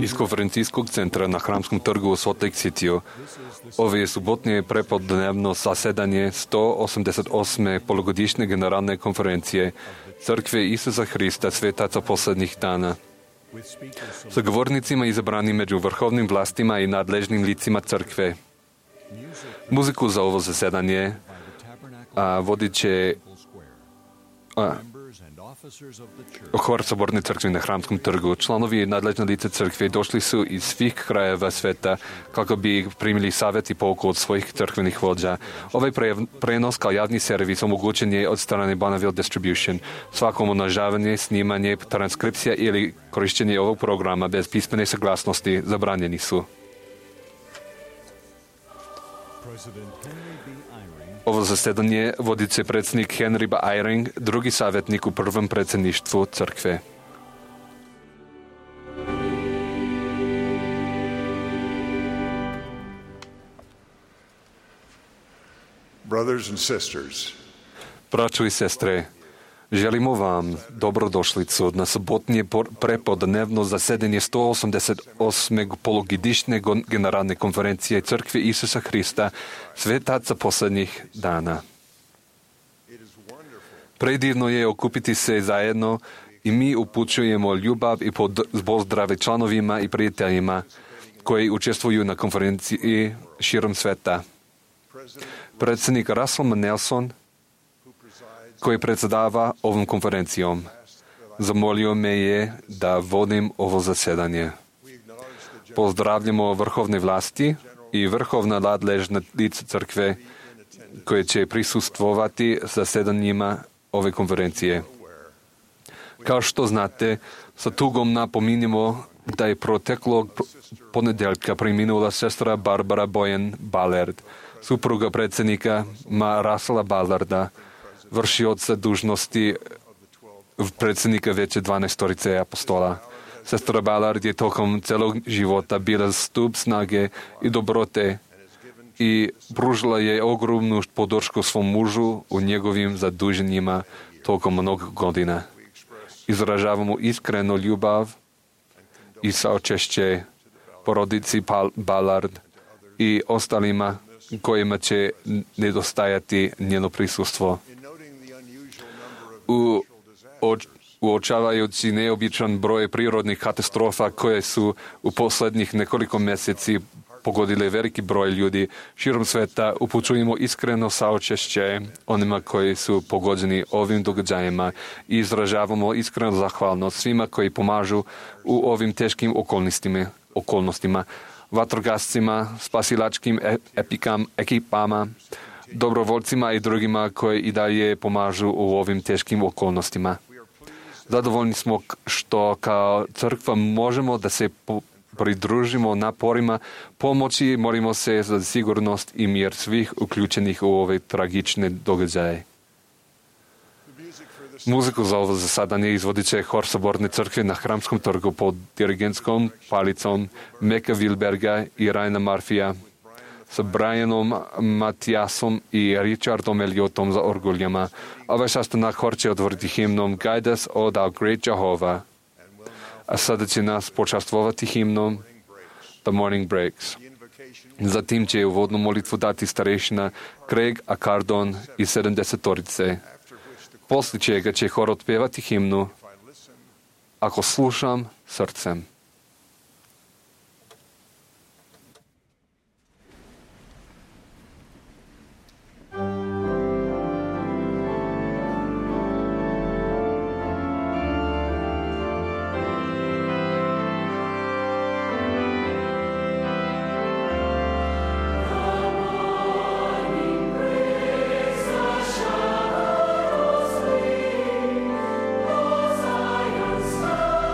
Iz konferencijskog centra na Hramskom trgu u Salt Lake Cityu ovo je subotnije prepodnevno zasedanje 188. polugodišnje generalne konferencije Crkve Isusa Hrista svetaca posljednjih dana. Sa govornicima izabranim među vrhovnim vlastima i nadležnim licima crkve. Muziku za ovo zasedanje vodit će Hor Soborne crkve na Hramskom trgu. Članovi nadležne lice crkve došli su iz svih krajeva sveta kako bi primili savjet i pouku od svojih crkvenih vođa. Ovaj prenos kao javni servis omogućen je od strane Bonneville Distribution. Svako umnožavanje, snimanje, transkripcija ili korištenje ovog programa bez pismene saglasnosti zabranjeni su. Ovo zasedanje vodit će predsjednik Henry B. Eyring, drugi savjetnik u prvom predsjedništvu crkve. Brothers and sisters, Braćo i sestre, želimo vam dobrodošlicu na sobotnje prepodnevno zasedanje 188. polugodišnje generalne konferencije Crkve Isusa Hrista svetaca posljednjih dana. Predivno je okupiti se zajedno i mi upućujemo ljubav i pozdrave članovima i prijateljima koji učestvuju na konferenciji širom sveta. Predsjednik Russell M. Nelson, koji predsjedava ovom konferencijom, zamolio me je da vodim ovo zasedanje. Pozdravljamo vrhovne vlasti i vrhovna nadležna lica crkve koje će prisustvovati zasedanjima ove konferencije. Kao što znate, sa tugom napominjemo da je proteklog ponedjeljka preminula sestra Barbara Boyan Ballard, supruga predsjednika Russella Ballarda, vršioca dužnosti predsjednika Vijeća 12 apostola. Sestra Ballard je tokom celog života bila stup snage i dobrote i pružila je ogromnu podršku svom mužu u njegovim zaduženjima tokom mnogo godina. Izražavamo iskrenu ljubav i saočešće porodici Ballard i ostalima kojima će nedostajati njeno prisustvo. Uočavajući neobičan broj prirodnih katastrofa koje su u posljednjih nekoliko mjeseci pogodile veliki broj ljudi širom sveta, upućujemo iskreno saočešće onima koji su pogođeni ovim događajima i izražavamo iskrenu zahvalnost svima koji pomažu u ovim teškim okolnostima, vatrogascima, spasilačkim ekipama, dobrovoljcima i drugima koji i dalje pomažu u ovim teškim okolnostima. Zadovoljni smo što kao crkva možemo da se pridružimo naporima pomoći, molimo se za sigurnost i mir svih uključenih u ove tragične događaje. Muziku za ovo zasadanje izvodit će Hor Soborne crkve na Hramskom trgu pod dirigentskom palicom Meka Wilberga i Raina Murphyja, sa Brianom Matiasom i Richardom Elliotom za orguljama. Ovaj sastanak hor će otvoriti himnom Guide us, O thou great Jehovah. A sada će nas počastvovati himnom The Morning Breaks. Zatim će uvodnu molitvu dati starešina Craig Acardon i 70-torice. Poslije čega će hor otpevati himnu Ako slušam srcem.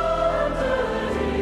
Standard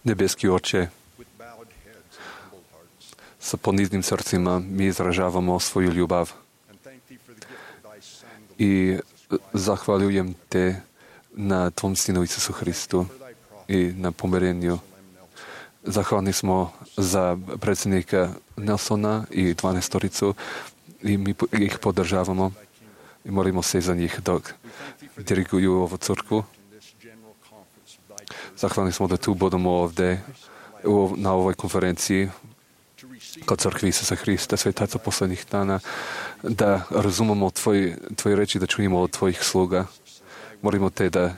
Nebeský Oče, s ponízným srdcima my izražavamo svoju ljubav i zahvaljujem te na Tvom Sinu Isusu Hristu i na pomirenju. Zahvalni smo za predsjednika Nelsona i 12-toricu i mi ih podržavamo i molimo se za njih dok diriguju ovu crkvu. Zahvalni smo da tu budemo ovdje na ovoj konferenciji kod crkvi Isusa Hrista, svetaca poslednjih dana, da razumemo tvoje reči, da čujemo od tvojih sluga. Molimo te da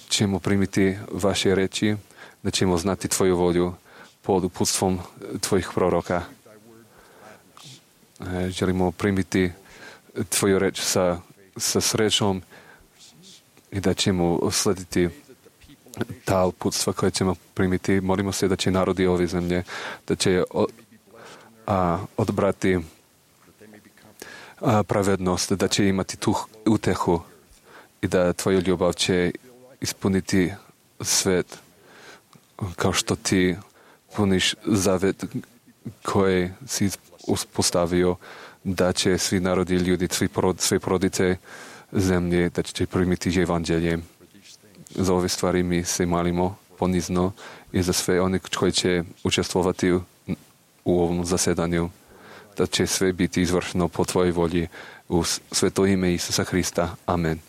ćemo primiti vaše reči, da ćemo znati tvoju volju pod uputstvom tvojih proroka. Želimo primiti tvoju reč sa srećom i da ćemo slediti ta uputstva koje ćemo primiti. Molimo se da će narodi ove zemlje, da će odbrati pravednost, da će imati tu utehu i da tvoja ljubav će ispuniti svet kao što ti puniš zavet koji si uspostavio, da će svi narodi i ljudi, sve porodice zemlje, da će primiti evanđelje. Za ove stvari mi se molimo ponizno i za sve one koji će učestvovati u ovom zasedanju, da će sve biti izvršeno po tvojoj volji u sveto ime Isusa Hrista. Amen.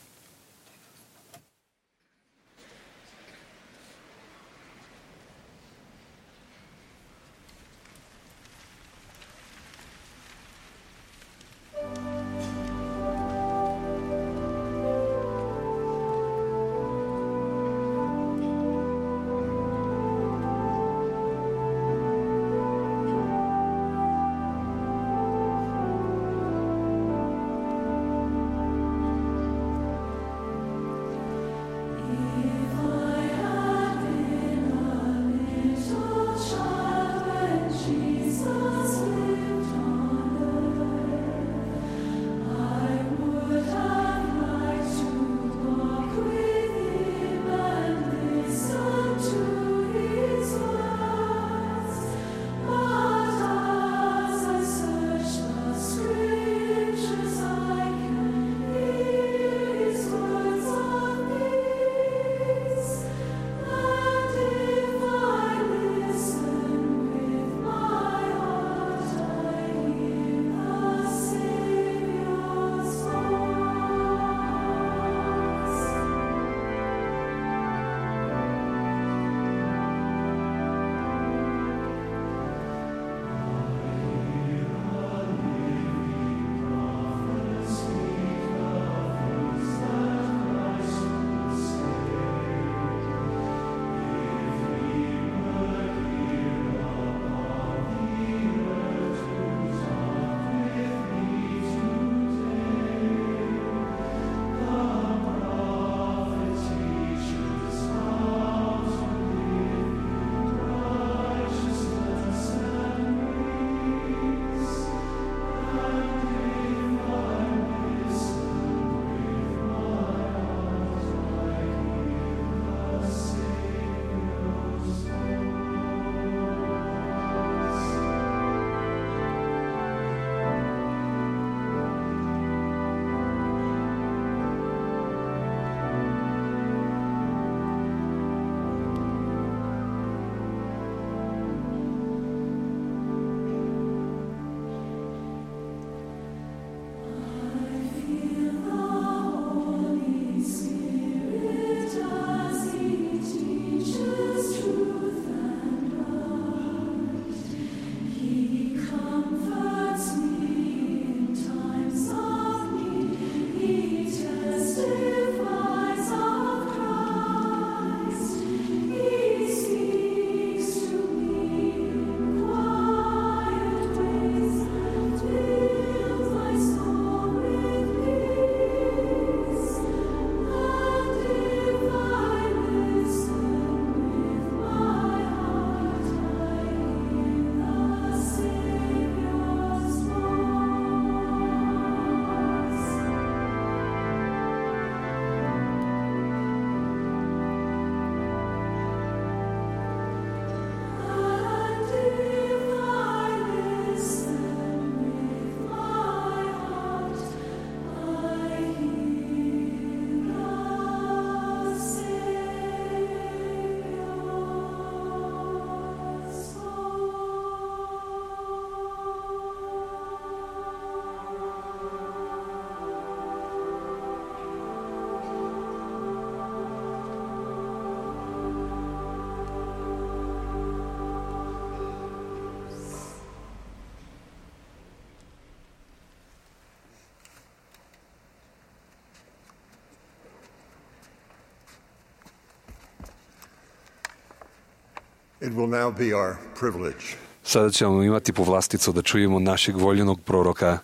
It will now be our privilege Sada ćemo imati povlasticu da čujemo našeg voljenog proroka,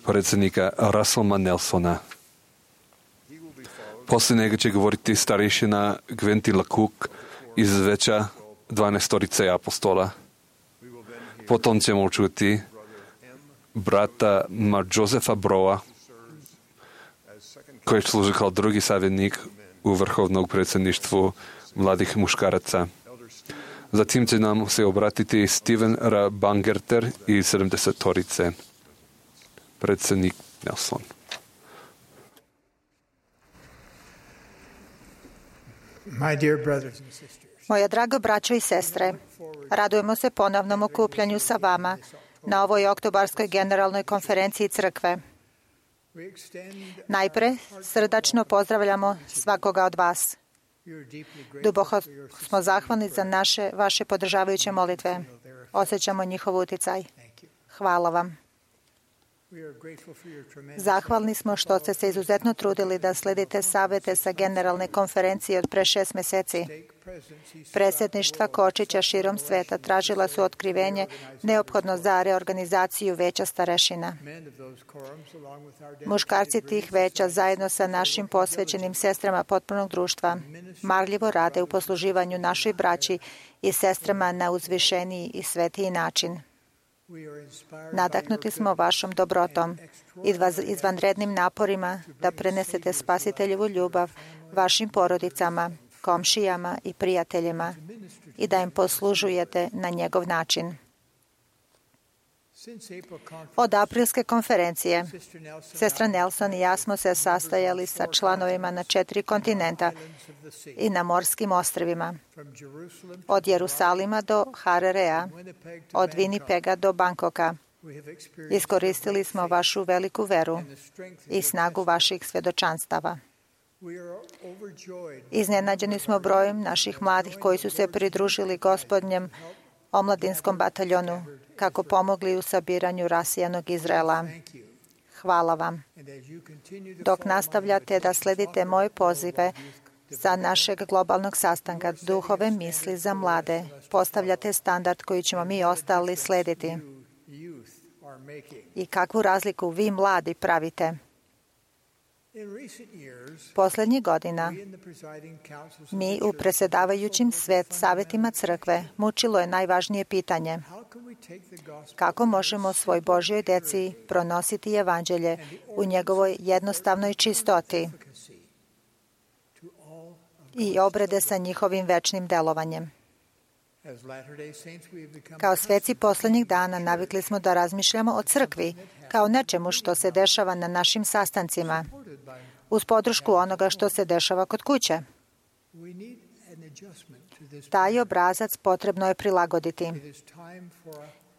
predsjednika Russella Nelsona. Poslije njega će govoriti starešina Gwentila Cook iz veća 12 apostola. Potom ćemo čuti brata Josefa Broa, koji služi kao drugi savjetnik u vrhovnom predsjedništvu mladih muškaraca. Zatim će nam se obratiti Steven R. Bangerter iz 70-torice, predsjednik Nelson. Moja draga braćo i sestre, radujemo se ponovnom okupljanju sa vama na ovoj oktobarskoj generalnoj konferenciji crkve. Najpre srdačno pozdravljamo svakoga od vas. Duboko smo zahvalni za vaše podržavajuće molitve. Osjećamo njihov utjecaj. Hvala vam. Zahvalni smo što ste se izuzetno trudili da sledite savjete sa generalne konferencije od pre 6 mjeseci. Predsjedništva Kočića širom sveta tražila su otkrivenje neophodno za reorganizaciju veća starešina. Muškarci tih veća zajedno sa našim posvećenim sestrama potpunog društva marljivo rade u posluživanju našoj braći i sestrama na uzvišeniji i svetiji način. Nadahnuti smo vašom dobrotom i izvanrednim naporima da prenesete spasiteljevu ljubav vašim porodicama, komšijama i prijateljima i da im poslužujete na njegov način. Od aprilske konferencije, sestra Nelson i ja smo se sastajali sa članovima na 4 kontinenta i na morskim ostrvima, od Jerusalima do Harerea, od Winnipega do Bangkoka. Iskoristili smo vašu veliku veru i snagu vaših svjedočanstava. Iznenađeni smo brojem naših mladih koji su se pridružili Gospodnjem omladinskom bataljonu kako pomogli u sabiranju rasijanog Izraela. Hvala vam. Dok nastavljate da sledite moje pozive za našeg globalnog sastanka duhove misli za mlade, postavljate standard koji ćemo mi ostali slediti. I kakvu razliku vi mladi pravite? Posljednjih godina mi u predsjedavajućim savjetima crkve mučilo je najvažnije pitanje: kako možemo svoj Božjoj djeci pronositi evanđelje u njegovoj jednostavnoj čistoti i obrede sa njihovim večnim delovanjem. Kao sveci posljednjih dana navikli smo da razmišljamo o crkvi kao nečemu što se dešava na našim sastancima, uz podršku onoga što se dešava kod kuće. Taj obrazac potrebno je prilagoditi.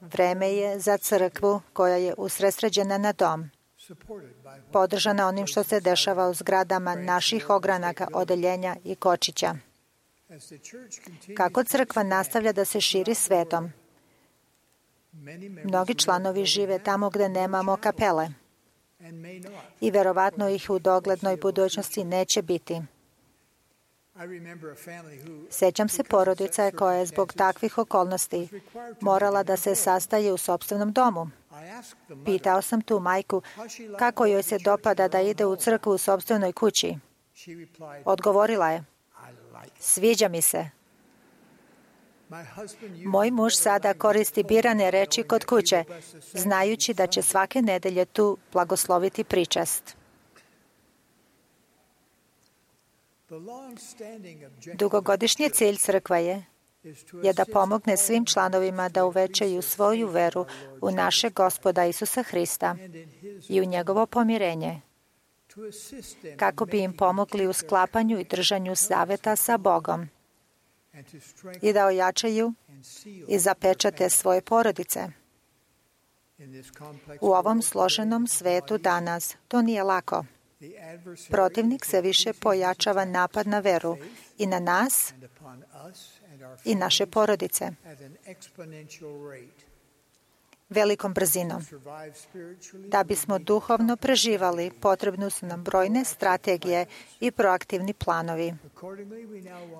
Vreme je za crkvu koja je usredsređena na dom, podržana onim što se dešava u zgradama naših ogranaka, odeljenja i Kočića. Kako crkva nastavlja da se širi svetom, mnogi članovi žive tamo gdje nemamo kapele i verovatno ih u doglednoj budućnosti neće biti. Sjećam se porodice koja je zbog takvih okolnosti morala da se sastaje u sopstvenom domu. Pitao sam tu majku kako joj se dopada da ide u crkvu u sopstvenoj kući. Odgovorila je: sviđa mi se. Moj muž sada koristi birane reči kod kuće, znajući da će svake nedelje tu blagosloviti pričast. Dugogodišnji cilj crkve je da pomogne svim članovima da uvećaju svoju veru u našeg Gospoda Isusa Hrista i u njegovo pomirenje, kako bi im pomogli u sklapanju i držanju zaveta sa Bogom i da ojačaju i zapečate svoje porodice. U ovom složenom svetu danas to nije lako. Protivnik se više pojačava napad na veru i na nas i naše porodice. velikom brzinom. Da bismo duhovno preživali, potrebne su nam brojne strategije i proaktivni planovi.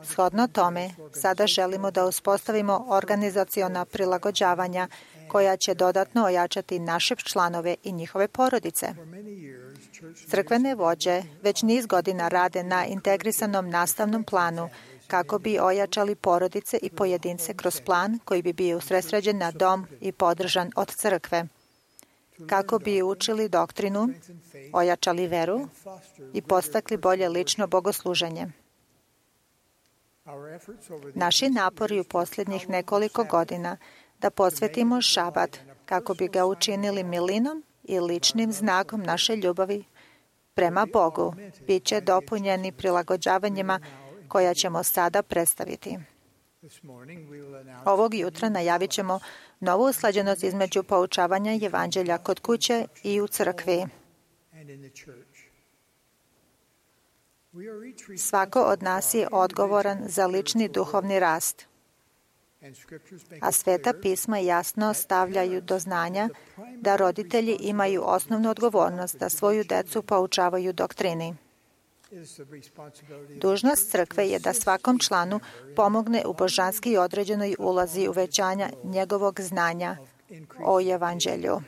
Shodno tome, sada želimo da uspostavimo organizaciona prilagođavanja koja će dodatno ojačati naše članove i njihove porodice. Crkvene vođe već niz godina rade na integrisanom nastavnom planu kako bi ojačali porodice i pojedince kroz plan koji bi bio usredsređen na dom i podržan od crkve, kako bi učili doktrinu, ojačali veru i podstakli bolje lično bogosluženje. Naši napori u posljednjih nekoliko godina da posvetimo šabat kako bi ga učinili milinom i ličnim znakom naše ljubavi prema Bogu bit će dopunjeni prilagođavanjima koja ćemo sada predstaviti. Ovog jutra najavit ćemo novu usklađenost između poučavanja evanđelja kod kuće i u crkvi. Svako od nas je odgovoran za lični duhovni rast, a Sveta pisma jasno stavljaju do znanja da roditelji imaju osnovnu odgovornost da svoju decu poučavaju doktrini. Dužnost crkve je da svakom članu pomogne u božanski određenoj ulozi uvećanja njegovog znanja o evanđelju.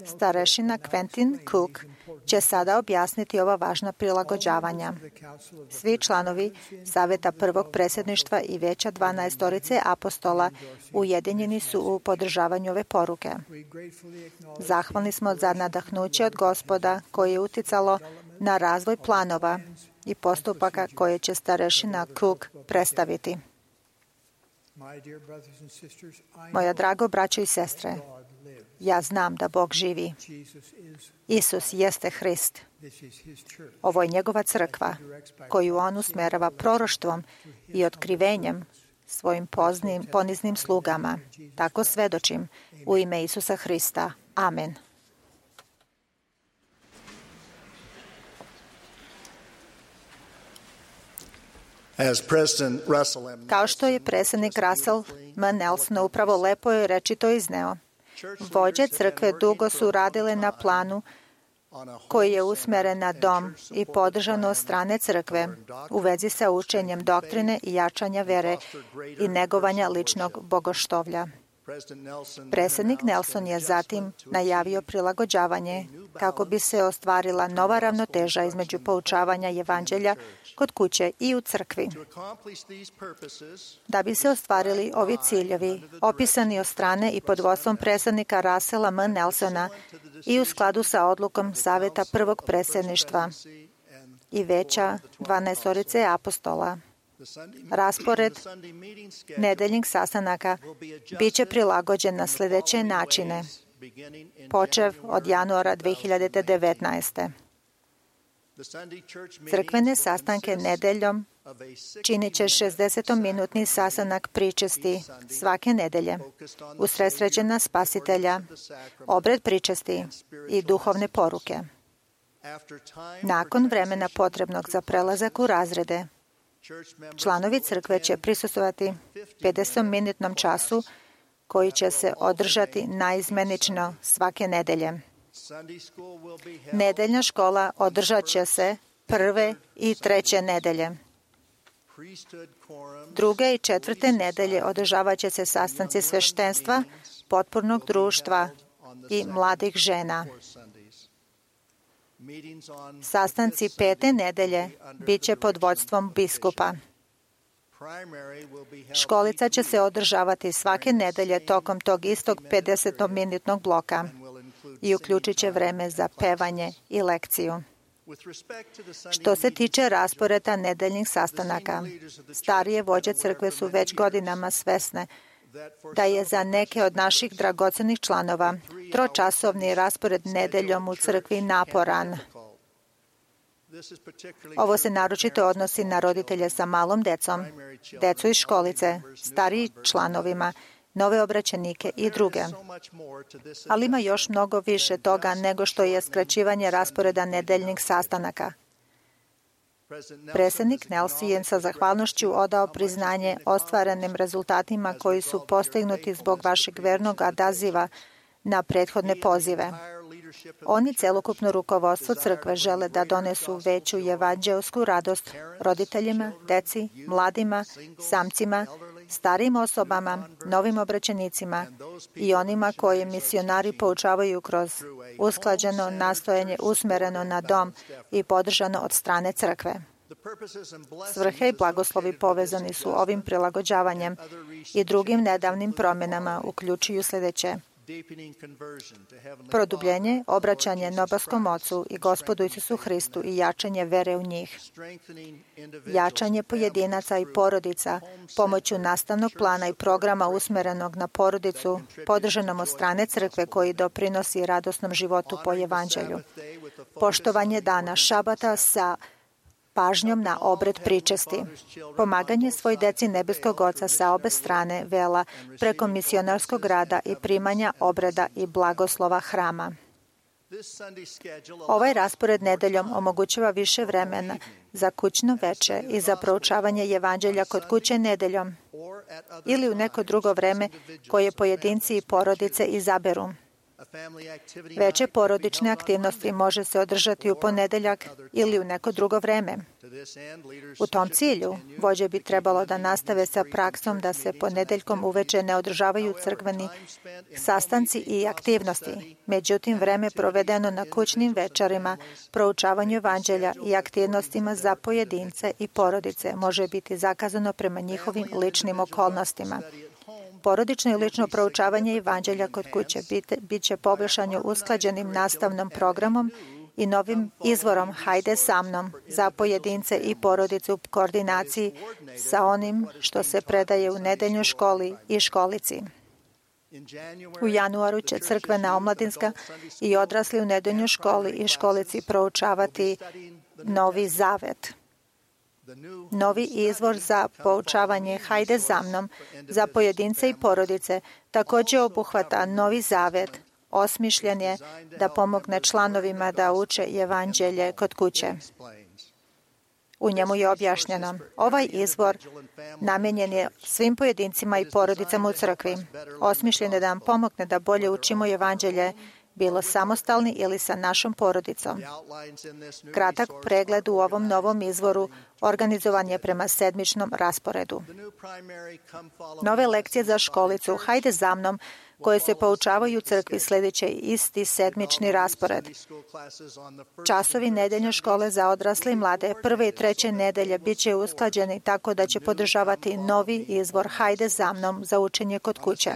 Starešina Quentin Cook će sada objasniti ova važna prilagođavanja. Svi članovi Saveta prvog predsjedništva i Veća 12 apostola ujedinjeni su u podržavanju ove poruke. Zahvalni smo za nadahnuće od Gospoda koje je uticalo na razvoj planova i postupaka koje će starešina Cook predstaviti. Moja drago braćo i sestre, ja znam da Bog živi. Isus jeste Hrist. Ovo je njegova crkva, koju on usmerava proroštvom i otkrivenjem svojim poniznim slugama. Tako svedočim u ime Isusa Hrista. Amen. Kao što je predsjednik Russell M. Nelson upravo lepo i rečito izneo, vođe crkve dugo su radile na planu koji je usmeren na dom i podržan od strane crkve u vezi sa učenjem doktrine i jačanja vere i negovanja ličnog bogoštovlja. Predsjednik Nelson je zatim najavio prilagođavanje kako bi se ostvarila nova ravnoteža između poučavanja evanđelja kod kuće i u crkvi. Da bi se ostvarili ovi ciljevi, opisani od strane i pod vodstvom predsjednika Russella M. Nelsona i u skladu sa odlukom Saveta prvog predsjedništva i Veća 12 apostola, raspored nedeljnih sastanaka biće prilagođen na sljedeće načine, počev od januara 2019. Crkvene sastanke nedeljom činit će 60-minutni sastanak pričesti svake nedelje, usredsređen na Spasitelja, obred pričesti i duhovne poruke. Nakon vremena potrebnog za prelazak u razrede, članovi crkve će prisustvovati 50-minutnom času koji će se održati naizmenično svake nedelje. Nedeljna škola održat će se prve i treće nedelje. Druge i četvrte nedelje održavat će se sastanci sveštenstva, potpornog društva i mladih žena. Sastanci pete nedelje bit će pod vodstvom biskupa. Školica će se održavati svake nedelje tokom tog istog 50-minutnog bloka i uključit će vreme za pevanje i lekciju. Što se tiče rasporeda nedeljnih sastanaka, starije vođe crkve su već godinama svesne da je za neke od naših dragocenih članova tročasovni raspored nedeljom u crkvi naporan. Ovo se naročito odnosi na roditelje sa malom decom, decu iz školice, stariji članovima, nove obraćenike i druge. Ali ima još mnogo više toga nego što je skraćivanje rasporeda nedeljnih sastanaka. Predsjednik Nelson je sa zahvalnošću odao priznanje ostvarenim rezultatima koji su postignuti zbog vašeg vernog odaziva na prethodne pozive. Oni celokupno rukovodstvo crkve žele da donesu veću evanđelsku radost roditeljima, deci, mladima, samcima, starijim osobama, novim obraćenicima i onima koje misionari poučavaju kroz usklađeno nastojanje usmereno na dom i podržano od strane crkve. Svrhe i blagoslovi povezani su ovim prilagođavanjem i drugim nedavnim promjenama uključuju sljedeće: produbljenje, obraćanje nebeskom Ocu i Gospodu Isusu Hristu i jačanje vere u njih, jačanje pojedinaca i porodica pomoću nastavnog plana i programa usmerenog na porodicu, podržanom od strane crkve koji doprinosi radosnom životu po evanđelju, poštovanje dana šabata sa pažnjom na obred pričesti, pomaganje svoj deci nebeskog Oca sa obe strane vela preko misionarskog rada i primanja obreda i blagoslova hrama. Ovaj raspored nedeljom omogućava više vremena za kućno veče i za proučavanje evanđelja kod kuće nedeljom ili u neko drugo vreme koje pojedinci i porodice izaberu. Veće porodične aktivnosti može se održati u ponedeljak ili u neko drugo vreme. U tom cilju, vođe bi trebalo da nastave sa praksom da se ponedeljkom uveče ne održavaju crkveni sastanci i aktivnosti. Međutim, vreme provedeno na kućnim večerima, proučavanju evanđelja i aktivnostima za pojedince i porodice može biti zakazano prema njihovim ličnim okolnostima. Porodično i lično proučavanje evanđelja kod kuće bit će poboljšano usklađenim nastavnom programom i novim izvorom Hajde sa mnom za pojedince i porodice u koordinaciji sa onim što se predaje u nedeljnoj školi i školici. U januaru će crkvena omladinska i odrasli u nedeljnoj školi i školici proučavati Novi Zavet. Novi izvor za poučavanje Hajde za mnom za pojedince i porodice također obuhvata Novi Zavet, osmišljen je da pomogne članovima da uče evanđelje kod kuće. U njemu je objašnjeno: ovaj izvor namenjen je svim pojedincima i porodicama u crkvi. Osmišljen je da nam pomogne da bolje učimo evanđelje, bilo samostalni ili sa našom porodicom. Kratak pregled u ovom novom izvoru organizovan je prema sedmičnom rasporedu. Nove lekcije za školicu Hajde za mnom, koje se poučavaju u crkvi, sljedeće isti sedmični raspored. Časovi nedeljne škole za odrasle i mlade prve i treće nedelje bit će usklađeni tako da će podržavati novi izvor Hajde za mnom za učenje kod kuće.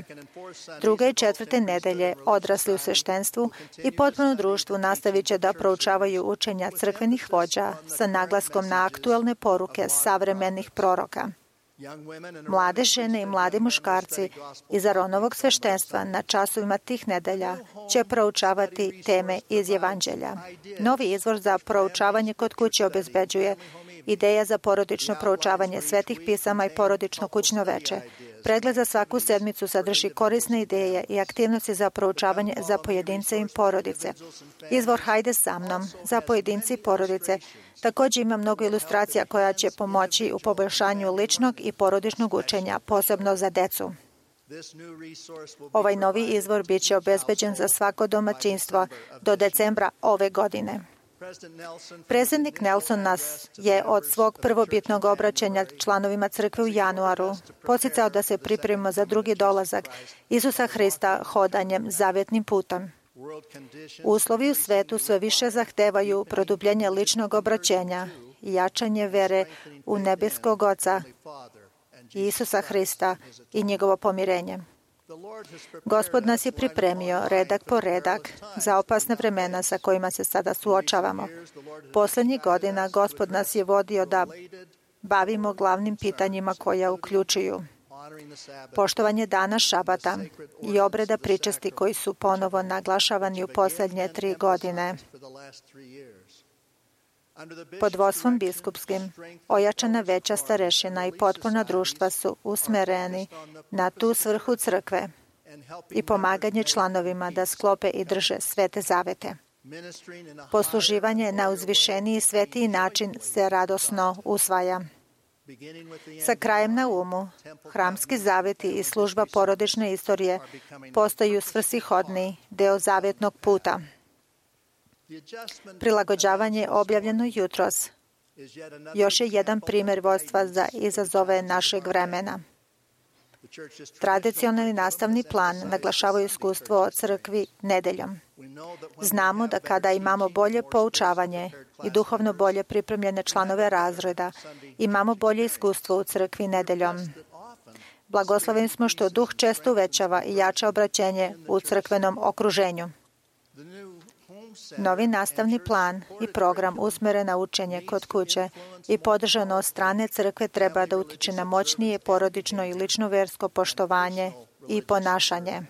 Druge i četvrte nedelje odrasli u sveštenstvu i potpuno društvu nastavit će da proučavaju učenja crkvenih vođa sa naglaskom na aktuelne poruke savremenih proroka. Mlade žene i mladi muškarci iz Aronovog sveštenstva na časovima tih nedelja će proučavati teme iz evanđelja. Novi izvor za proučavanje kod kuće obezbeđuje ideja za porodično proučavanje svetih pisama i porodično kućno veče. Pregled za svaku sedmicu sadrži korisne ideje i aktivnosti za proučavanje za pojedince i porodice. Izvor Hajde sa mnom za pojedince i porodice također ima mnogo ilustracija koja će pomoći u poboljšanju ličnog i porodičnog učenja, posebno za decu. Ovaj novi izvor bit će obezbeđen za svako domaćinstvo do decembra ove godine. Predsjednik Nelson nas je od svog prvobitnog obraćanja članovima crkve u januaru podsticao da se pripremimo za drugi dolazak Isusa Hrista hodanjem zavjetnim putem. Uslovi u svetu sve više zahtevaju produbljenje ličnog obraćenja i jačanje vere u nebeskog Oca i Isusa Hrista i njegovo pomirenje. Gospod nas je pripremio redak po redak za opasne vremena sa kojima se sada suočavamo. Posljednjih godina Gospod nas je vodio da bavimo glavnim pitanjima koja uključuju poštovanje dana šabata i obreda pričesti koji su ponovo naglašavani u posljednje 3 godine. Pod vodstvom biskupskim, ojačana veća starešina i potpuna društva su usmereni na tu svrhu crkve i pomaganje članovima da sklope i drže svete zavete. Posluživanje na uzvišeniji i svetiji način se radosno usvaja. Sa krajem na umu, hramski zaveti i služba porodične istorije postaju svrsishodni deo zavetnog puta. Prilagođavanje objavljeno jutros još je jedan primjer vodstva za izazove našeg vremena. Tradicionalni nastavni plan naglašava iskustvo o crkvi nedeljom. Znamo da kada imamo bolje poučavanje i duhovno bolje pripremljene članove razreda, imamo bolje iskustvo u crkvi nedeljom. Blagosloveni smo što duh često uvećava i jača obraćenje u crkvenom okruženju. Novi nastavni plan i program usmeren na učenje kod kuće i podržano od strane crkve treba da utiče na moćnije porodično i lično versko poštovanje i ponašanje.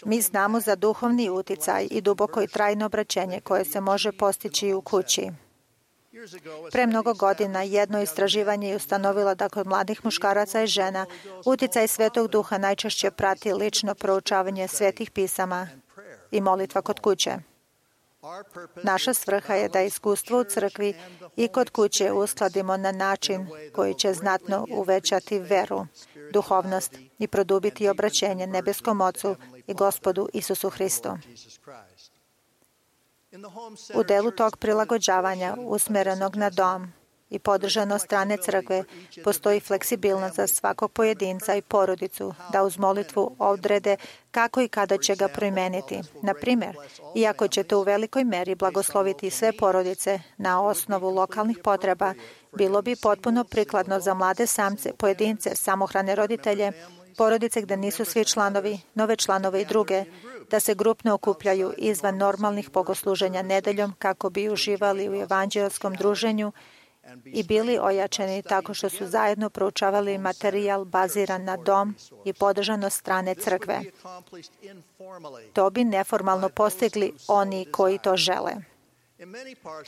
Mi znamo za duhovni uticaj i duboko i trajno obraćenje koje se može postići u kući. Pre mnogo godina jedno istraživanje je ustanovilo da kod mladih muškaraca i žena uticaj Svetog Duha najčešće prati lično proučavanje svetih pisama i molitva kod kuće. Naša svrha je da iskustvo u crkvi i kod kuće uskladimo na način koji će znatno uvećati veru, duhovnost i produbiti obraćenje nebeskom Ocu i Gospodu Isusu Hristu. U delu tog prilagođavanja usmerenog na dom i podržano od strane crkve postoji fleksibilnost za svakog pojedinca i porodicu da uz molitvu odrede kako i kada će ga primeniti. Na primjer, iako ćete u velikoj meri blagosloviti sve porodice na osnovu lokalnih potreba, bilo bi potpuno prikladno za mlade samce, pojedince, samohrane roditelje, porodice gde nisu svi članovi, nove članove i druge, da se grupno okupljaju izvan normalnih bogosluženja nedeljom kako bi uživali u evanđelskom druženju i bili ojačani tako što su zajedno proučavali materijal baziran na dom i podržan od strane crkve. To bi neformalno postigli oni koji to žele.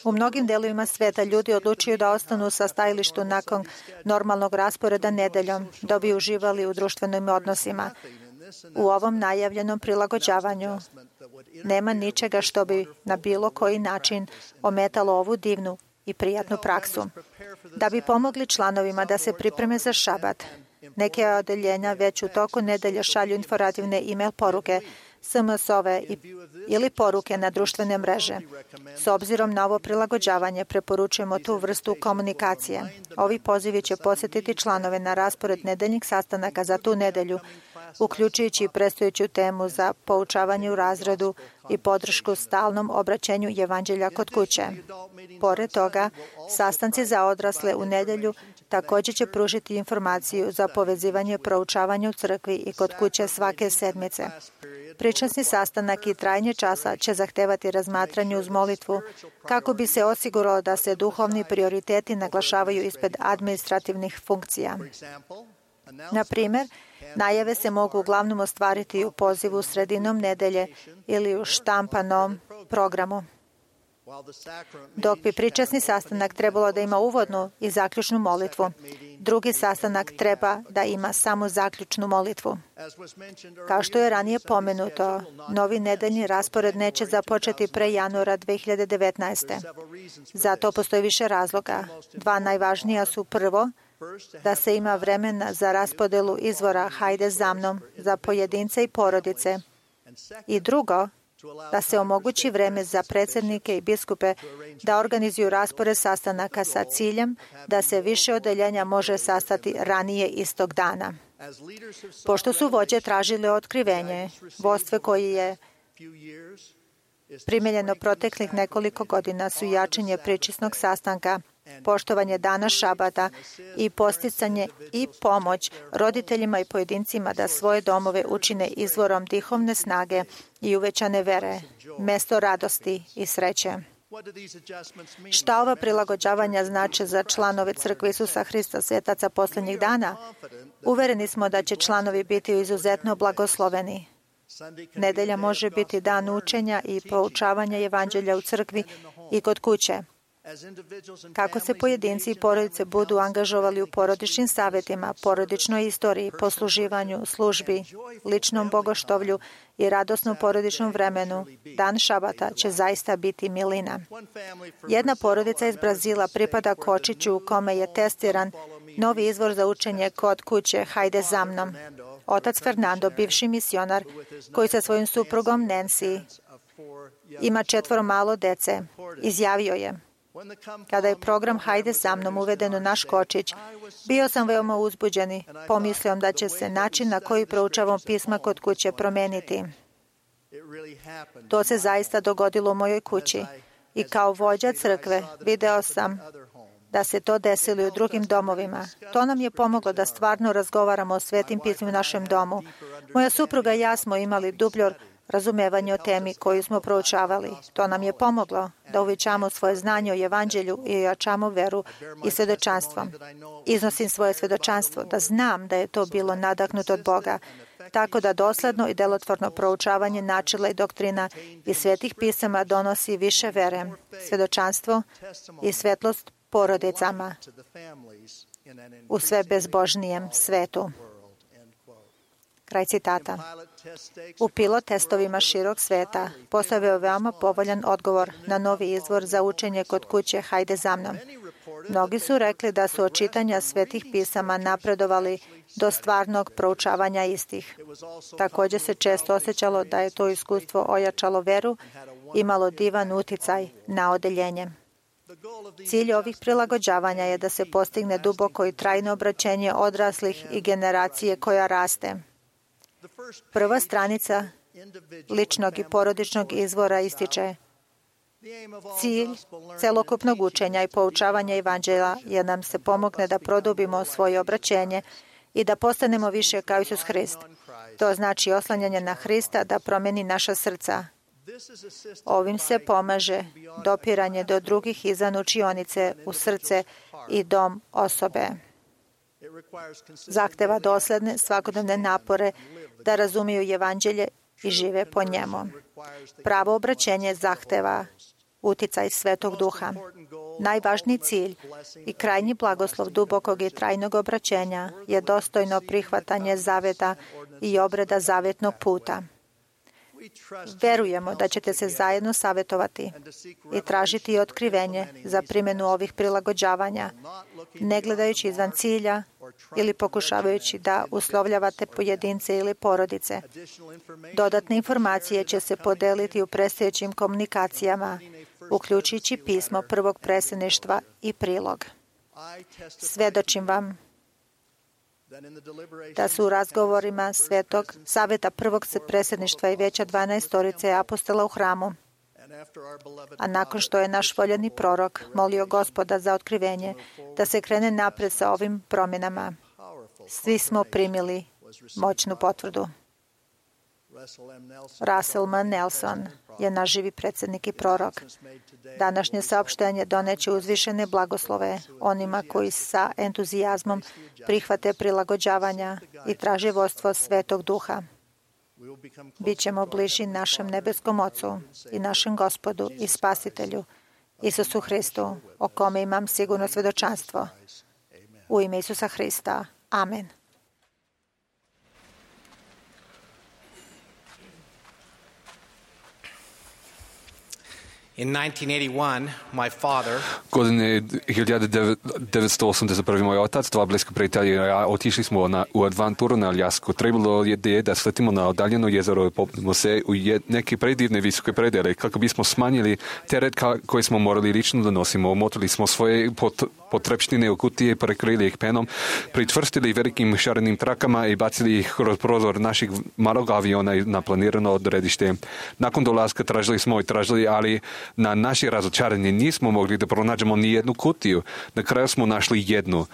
U mnogim delovima sveta ljudi odlučuju da ostanu sa stajalištu nakon normalnog rasporeda nedeljom, da bi uživali u društvenim odnosima. U ovom najavljenom prilagođavanju nema ničega što bi na bilo koji način ometalo ovu divnu i prijatnu praksu. Da bi pomogli članovima da se pripreme za šabat, neke odeljenja već u toku nedelja šalju informativne e-mail poruke, SMS-ove ili poruke na društvene mreže. S obzirom na ovo prilagođavanje, preporučujemo tu vrstu komunikacije. Ovi pozivi će posjetiti članove na raspored nedeljnih sastanaka za tu nedelju, uključujući predstojeću temu za poučavanje u razredu i podršku stalnom obraćenju evanđelja kod kuće. Pored toga, sastanci za odrasle u nedelju također će pružiti informaciju za povezivanje proučavanja u crkvi i kod kuće svake sedmice. Pričasni sastanak i trajanje časa će zahtevati razmatranje uz molitvu kako bi se osiguralo da se duhovni prioriteti naglašavaju ispred administrativnih funkcija. Na primjer, najave se mogu uglavnom ostvariti u pozivu sredinom nedelje ili u štampanom programu. Dok bi pričasni sastanak trebalo da ima uvodnu i zaključnu molitvu, drugi sastanak treba da ima samo zaključnu molitvu. Kao što je ranije pomenuto, novi nedeljni raspored neće započeti pre januara 2019. Za to postoji više razloga. Dva najvažnija su: prvo, da se ima vremena za raspodelu izvora Hajde za mnom za pojedince i porodice, i drugo, da se omogući vreme za predsjednike i biskupe da organizuju raspored sastanaka sa ciljem da se više odeljenja može sastati ranije istog dana. Pošto su vođe tražile otkrivenje, vodstvo koje je primenjeno proteklih nekoliko godina su jačanje pričasnog sastanka, poštovanje dana šabata i posticanje i pomoć roditeljima i pojedincima da svoje domove učine izvorom duhovne snage i uvećane vere, mesto radosti i sreće. Šta ova prilagođavanja znače za članove Crkve Isusa Hrista svetaca posljednjih dana? Uvereni smo da će članovi biti izuzetno blagosloveni. Nedelja može biti dan učenja i poučavanja evanđelja u crkvi i kod kuće. Kako se pojedinci i porodice budu angažovali u porodičnim savjetima, porodičnoj istoriji, posluživanju, službi, ličnom bogoštovlju i radosnom porodičnom vremenu, dan šabata će zaista biti milina. Jedna porodica iz Brazila pripada kočiću u kome je testiran novi izvor za učenje kod kuće Hajde za mnom. Otac Fernando, bivši misionar, koji sa svojim suprugom Nancy ima 4 malo dece, izjavio je: kada je program Hajde za mnom uveden u naš kočić, bio sam veoma uzbuđen i pomislio da će se način na koji proučavam pisma kod kuće promeniti. To se zaista dogodilo u mojoj kući i kao vođa crkve video sam da se to desilo i u drugim domovima. To nam je pomoglo da stvarno razgovaramo o svetim pismima u našem domu. Moja supruga i ja smo imali dublje razumevanje o temi koju smo proučavali. To nam je pomoglo da uvećamo svoje znanje o evanđelju i ojačamo veru i svedočanstvom. Iznosim svoje svedočanstvo da znam da je to bilo nadahnuto od Boga, tako da dosledno i delotvorno proučavanje načela i doktrina iz svetih pisama donosi više vere, svedočanstvo i svetlost porodicama u sve bezbožnijem svetu. Kraj citata. U pilot testovima širok sveta postavio veoma povoljan odgovor na novi izvor za učenje kod kuće Hajde za mnom. Mnogi su rekli da su od čitanja svetih pisama napredovali do stvarnog proučavanja istih. Također se često osjećalo da je to iskustvo ojačalo veru i imalo divan uticaj na odeljenje. Cilj ovih prilagođavanja je da se postigne duboko i trajno obraćenje odraslih i generacije koja raste. Prva stranica ličnog i porodičnog izvora ističe: cilj celokupnog učenja i poučavanja evanđelja je nam se pomogne da produbimo svoje obraćenje i da postanemo više kao Isus Hrist. To znači oslanjanje na Hrista da promeni naša srca. Ovim se pomaže dopiranje do drugih izvan učionice u srce i dom osobe. Zahteva dosledne svakodnevne napore da razumiju evanđelje i žive po njemu. Pravo obraćenje zahteva uticaj Svetog Duha. Najvažniji cilj i krajnji blagoslov dubokog i trajnog obraćenja je dostojno prihvatanje zaveta i obreda zavetnog puta. Verujemo da ćete se zajedno savjetovati i tražiti otkrivenje za primjenu ovih prilagođavanja, ne gledajući izvan cilja ili pokušavajući da uslovljavate pojedince ili porodice. Dodatne informacije će se podeliti u predstojećim komunikacijama, uključujući pismo prvog predsjedništva i prilog. Svedočim vam da su u razgovorima Svetog Saveta prvog predsjedništva i Vijeća 12 apostola u hramu, a nakon što je naš voljeni prorok molio Gospoda za otkrivenje, da se krene napred sa ovim promjenama, svi smo primili moćnu potvrdu. Russell M. Nelson je naš živi predsjednik i prorok. Današnje saopštenje doneće uzvišene blagoslove onima koji sa entuzijazmom prihvate prilagođavanja i traže vodstvo Svetog Duha. Bićemo bliži našem nebeskom Ocu i našem Gospodu i Spasitelju, Isusu Hristu, o kome imam sigurno svedočanstvo. U ime Isusa Hrista. Amen. In 1981, my father Godine 1981. moj otac, dva bliska prijatelja i ja otišli smo u adventuru na Aljasku. Trebalo je da sletimo na odaljeno jezero i popnemo se u neke predivne visoke predele. Kako bismo smanjili teret koji smo morali lično da nosimo, omotili smo svoje potrepštine u kutije, prekrili ih penom, pritvrstili velikim šarenim trakama i bacili ih kroz prozor naših malog aviona na planirano odredište. Nakon dolaska tražili, ali na naše razočaranje nismo mogli da pronađemo ni jednu kutiju. Na kraju smo našli jednu.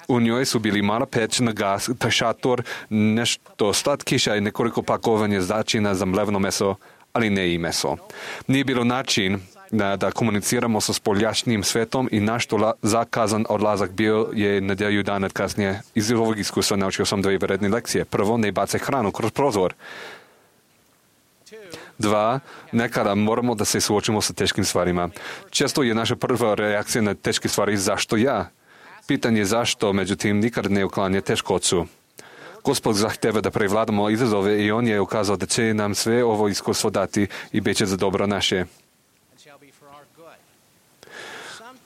U njoj su bili mala peć na gas, šator, nešto slatkiša i nekoliko pakovanja začina za mlevno meso, ali ne i meso. Nije bilo način da komuniciramo sa spoljašnjim svetom i naš zakazan odlazak bio je nedjelju dana kasnije. Iz ovog iskustva naučio sam dvije vredne lekcije. Prvo, ne bacaj hranu kroz prozor. 2. Nekada moramo da se suočimo sa teškim stvarima. Često je naša prva reakcija na teške stvari zašto ja? Pitanje zašto, međutim, nikad ne uklanja teškoću. Gospod zahteva da prevladamo izazove i on je ukazao da će nam sve ovo iskustvo dati i bit će za dobro naše.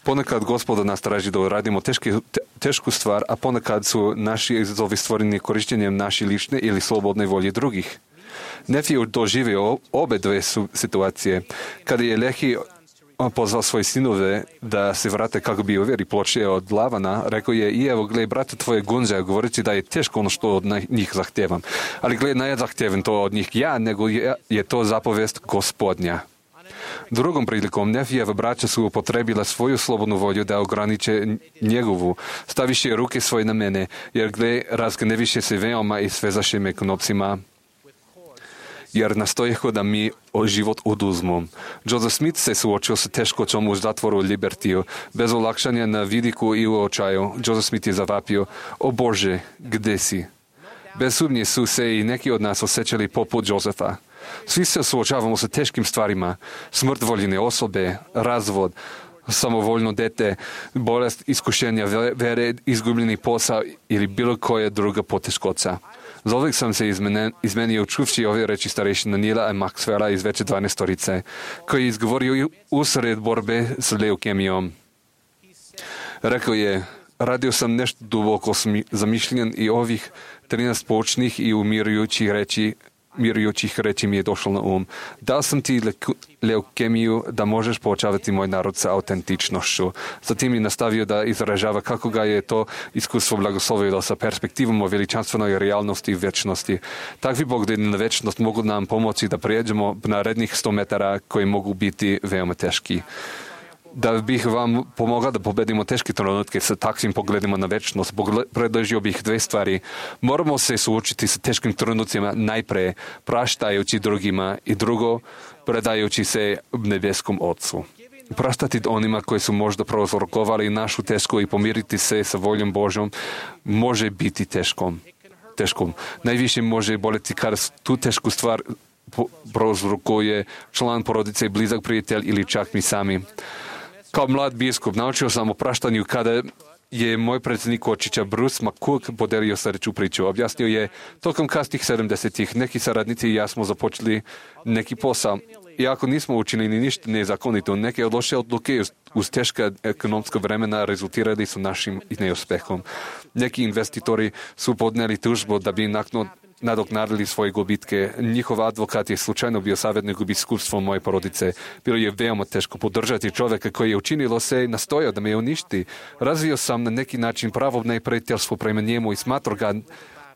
Ponekad Gospod od nas traži da radimo tešku stvar, a ponekad su naši izazovi stvoreni korištenjem naše lične ili slobodne volje drugih. Nefi doživio obe dve situacije. Kada je Lehi pozvao svoje sinove da se vrate kako bi uvjeri ploče od Lavana, rekao je, i evo, gledaj, brate tvoje gunđe, govoreći da je teško ono što od njih zahtevam. Ali gledaj, ne zahtevam to od njih ja, nego je to zapovest Gospodnja. Drugom prilikom Nefijeva braća su upotrebila svoju slobodnu volju da ograniče njegovu. Staviše ruke svoje na mene, jer razgneviše se veoma i svezaše me knopcima, jer nastojeho da mi život oduzmu. Joseph Smith se suočio sa teškoćom u zatvoru Libertiju. Bez olakšanja na vidiku i u očaju, Joseph Smith je zavapio, o Bože, gde si? Bez sumnje su se i neki od nas osjećali poput Josefa. Svi se suočavamo sa teškim stvarima. Smrt voljene osobe, razvod, samovoljno dete, bolest, iskušenja vere, izgubljeni posao ili bilo koja druga poteškoća. Zauvijek sam se izmenio čuvši ove reči starešina Nila i Maxwella iz veće 12-torice, koji je izgovorio usred borbe s leukemijom. Rekao je, radio sam nešto duboko zamišljen i ovih 13 poučnih i umirujućih reči mi je došlo na Dao sam ti leukemiju da možeš poučavati moj narod sa autentičnošću. Zatim je nastavio da izražava kako ga je to iskustvo blagoslovilo sa perspektivom o veličanstvenoj realnosti i večnosti. Takvi pogledi na večnost mogu nam pomoći da prijeđemo narednih 100 metara koji mogu biti veoma teški. Da bih vam pomogao da pobedimo teške trenutke sa takvim pogledima na večnost, predložio bih 2 stvari. Moramo se suočiti sa teškim trenucima najpre praštajući drugima i drugo, predajući se nebeskom Otcu. Praštati onima koji su možda prouzrokovali našu tešku i pomiriti se sa voljom Božjom može biti teškom. Najviše može boleti kada tu tešku stvar prouzrokuje član porodice, blizak prijatelj ili čak mi sami. Kao mlad biskup naučio sam o praštanju kada je moj predsjednik Kočića Bruce McCook podelio sljedeću priču. Objasnio je, tokom kasnih 70-ih neki saradnici i ja smo započeli neki posao. Iako nismo učinili ništa nezakonito, neke loše odluke uz teška ekonomska vremena rezultirali su našim neuspehom. Neki investitori su podnijeli tužbu da bi nadoknadili svoje gubitke. Njihov advokat je slučajno bio savjetnik u biskupstvu moje porodice. Bilo je veoma teško podržati čovjeka koji je učinilo se i nastojao da me uništi. Razvio sam na neki način pravo neprijateljstvo prema njemu i smatrao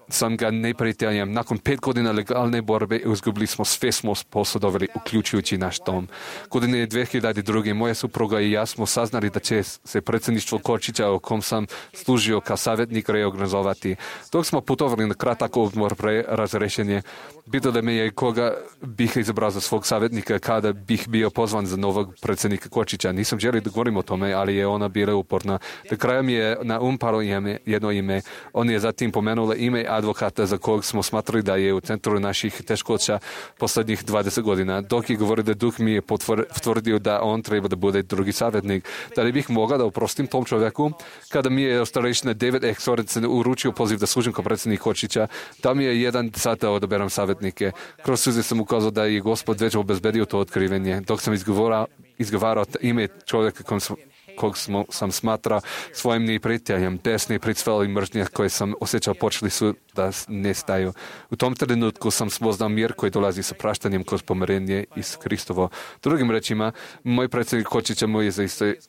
sam ga neprijateljem. Nakon 5 godina legalne borbe izgubili smo sve smo posjedovali, uključujući naš dom. Godine 2002. moja supruga i ja smo saznali da će se predsjedništvo Kočića, u kom sam služio kao savjetnik, reorganizovati. Dok smo putovali na kratak odmor pre razrešenje, pitali me je koga bih izabrao za svog savjetnika kada bih bio pozvan za novog predsjednika Kočića. Nisam želio da govorim o tome, ali je ona bila uporna. Do kraja mi je na palo jedno ime. On je zatim pomenula ime advokata za kog smo smatrali da je u centru naših teškoća posljednjih 20 godina. Dok je govorio da duh mi je potvrdio da on treba da bude drugi savjetnik. Da li bih mogao da oprostim tom čovjeku? Kada mi je starešina David Exorec uručio poziv da služim kao predsjednik Kočića, da mi je 1 sat da odaberam savjetnike. Kroz suze sam ukazao da je Gospod već obezbedio to otkrivenje. Dok sam izgovarao ime čovjeka kog sam smatrao svojim neprijateljem, desne pricvele i mržnje koje sam osjećao počeli su da nestaju. U tom trenutku sam spoznao mir koji dolazi sa praštanjem kroz pomirenje iz Kristovo. Drugim rečima, moj predsjednik Kočića mu je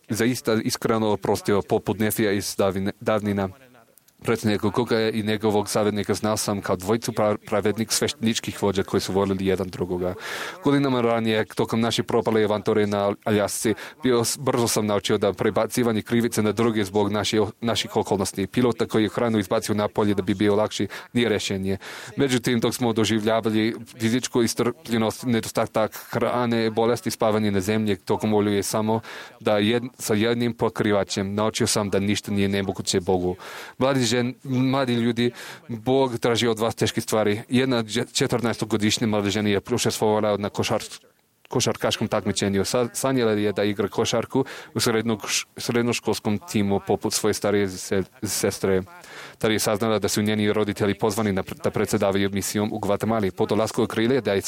zaista iskreno oprostio poput Nefija iz davnina. Predsjednika Kuka i njegovog savjetnika znao sam kao dvojicu pravednik svešteničkih vođa koji su volili jedan drugoga. Godinama ranije, tokom naše propale avanture na Aljasci, brzo sam naučio da prebacivanje krivice na druge zbog naših okolnosti. Pilota koji je hranu izbacio napolje da bi bio lakši nije rješenje. Međutim, dok smo doživljavali fizičku istrpljenost, nedostatak hrane, bolesti, spavanje na zemlji, tokom volju je samo da sa jednim pokrivačem naučio sam da ništa nije nemoguće Bogu. Mladi mladi ljudi, Bog traži od vas teške stvari. Jedna 14-godišnja mlada žena je učestvovala na košarkaškom takmičenju. Sanjala je da igra košarku u srednjoškolskom timu poput svoje starije sestre. Tada je saznala da su njeni roditelji pozvani da predsjedavaju misijom u Gvatemali. Po dolasku okrile da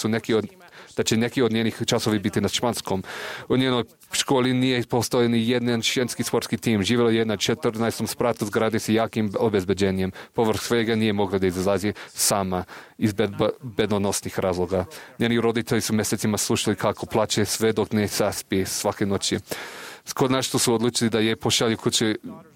će neki od njenih časovi biti na španskom. U njenoj školi nije postojao ni jedan ženski sportski tim. Živjela je na 14. spratu zgrade s jakim obezbeđenjem. Povrh svega nije mogla da izlazi sama iz bedonosnih razloga. Njeni roditelji su mjesecima slušali kako plače sve dok ne zaspi svake noći. Konačno su odlučili da je pošalju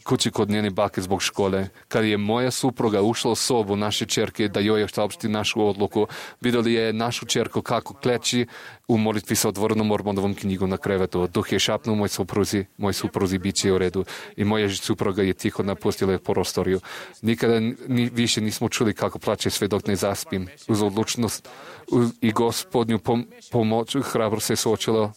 kući kod njene bake zbog škole. Kad je moja supruga ušla u sobu naše čerke da joj saopšti našu odluku, vidjeli je našu čerku kako kleči u molitvi sa otvorenom Mormonovom knjigom na krevetu. Duh je šapnuo moj supruzi bit će u redu i moja supruga je tiho napustila prostoriju. Nikada više nismo čuli kako plače sve dok ne zaspim. Uz odlučnost i Gospodnju pomoć hrabro se suočila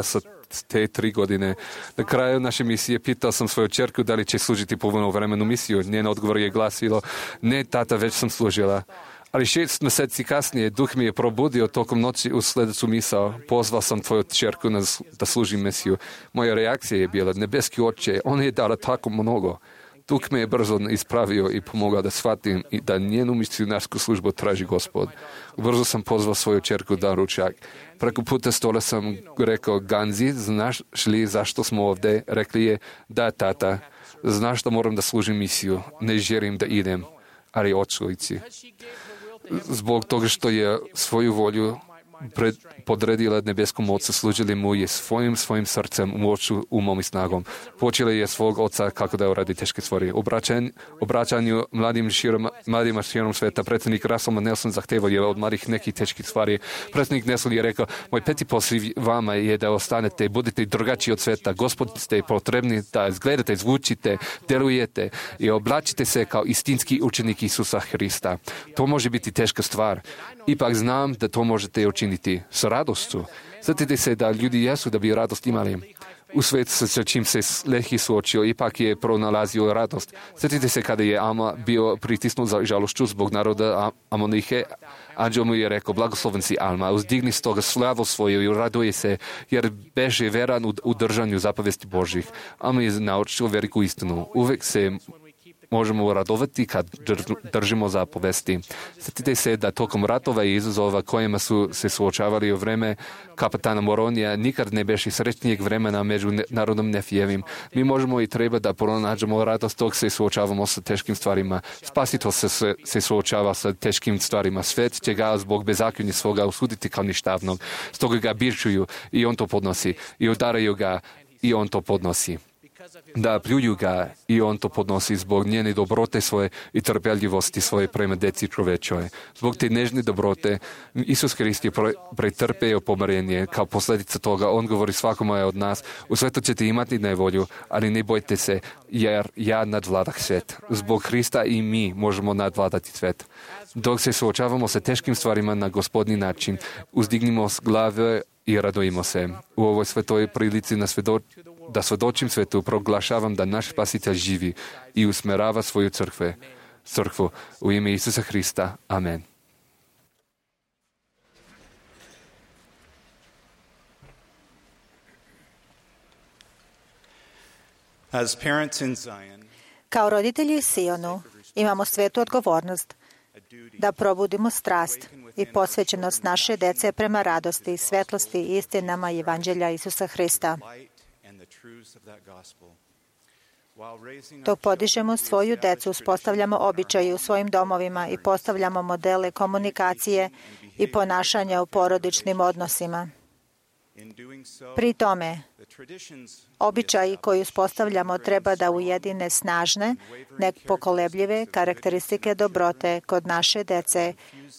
sa te 3 godine. Na kraju naše misije pitao sam svoju čerku da li će služiti punovremenu misiju. Njen odgovor je glasilo: ne, tata, već sam služila. Ali 6 mjeseci kasnije duh mi je probudio tokom noći u sljedeću misao. Pozvao sam tvoju čerku da služi misiju. Moja reakcija je bila: nebeski oče, ona je dala tako mnogo. Duh me je brzo ispravio i pomogao da shvatim i da njenu misionarsku službu traži Gospod. Brzo sam pozvao svoju čerku da ručak. Preko puta stola sam rekao: Ganzi, znaš li zašto smo ovdje? Rekli je: da, tata, znaš da moram da služim misiju. Ne želim da idem, ali hoću ići. Zbog toga što je svoju volju podredila nebeskom ocu, služili mu je svojim srcem, moću, umom i snagom. Počela je svog oca kako da uradi teške stvari. Obraćanju mladima širom sveta predsjednik Russell Nelson zahtevao je od mladih nekih teških stvari. Predsjednik Nelson je rekao: moj peti poziv vama je da ostanete, budete drugačiji od sveta. Gospod ste potrebni da izgledate, zvučite, delujete i oblačite se kao istinski učenik Isusa Hrista. To može biti teška stvar. Ipak znam da to možete učiniti s radošću. Sjetite se da ljudi jesu da bi radost imali. U svijetu sa čim se Lehi suočio, ipak je pronalazio radost. Sjetite se kada je Ama bio pritisnut za žalošću zbog naroda Amonihe. Anđel mu je rekao: blagosloven si, Alma, uzdigni s toga slavu svoju i raduje se, jer beže veran u držanju zapovesti Božih. Alma je naučio veliku istinu. Uvijek se možemo radovati kad držimo zapovesti. Sjetite se da tokom ratova i izazova kojima su se suočavali u vreme kapetana Moronija nikad ne beše srećnijeg vremena među narodom Nefijevim. Mi možemo i treba da pronađemo radost dok se suočavamo sa teškim stvarima. Spasitelj se suočava sa teškim stvarima. Svet će ga zbog bezakonja svoga osuditi kao ništavnog. Stoga ga bičuju i on to podnosi. I udaraju ga i on to podnosi. Da pljuju ga i on to podnosi zbog njene dobrote svoje i trpeljivosti svoje prema deci čovečoj. Zbog te nežne dobrote Isus Hrist je pretrpeo pomirenje. Kao posljedica toga on govori svakome od nas: u svetu ćete imati nevolju, ali ne bojte se, jer ja nadvladah svet. Zbog Hrista i mi možemo nadvladati svet. Dok se suočavamo sa teškim stvarima na Gospodnji način, uzdignimo s glave i radujemo se. U ovoj svetoj prilici da svedočim svetu, proglašavam da naš Spasitelj živi i usmerava svoju crkvu. U ime Isusa Hrista. Amen. As parents in Zion, Kao roditelji u Sionu imamo svetu odgovornost da probudimo strast i posvećenost naše dece prema radosti, svetlosti i istinama Evanđelja Isusa Hrista. Dok podižemo svoju decu, uspostavljamo običaje u svojim domovima i postavljamo modele komunikacije i ponašanja u porodičnim odnosima. Pri tome, običaji koji uspostavljamo treba da ujedine snažne, nepokolebljive karakteristike dobrote kod naše dece,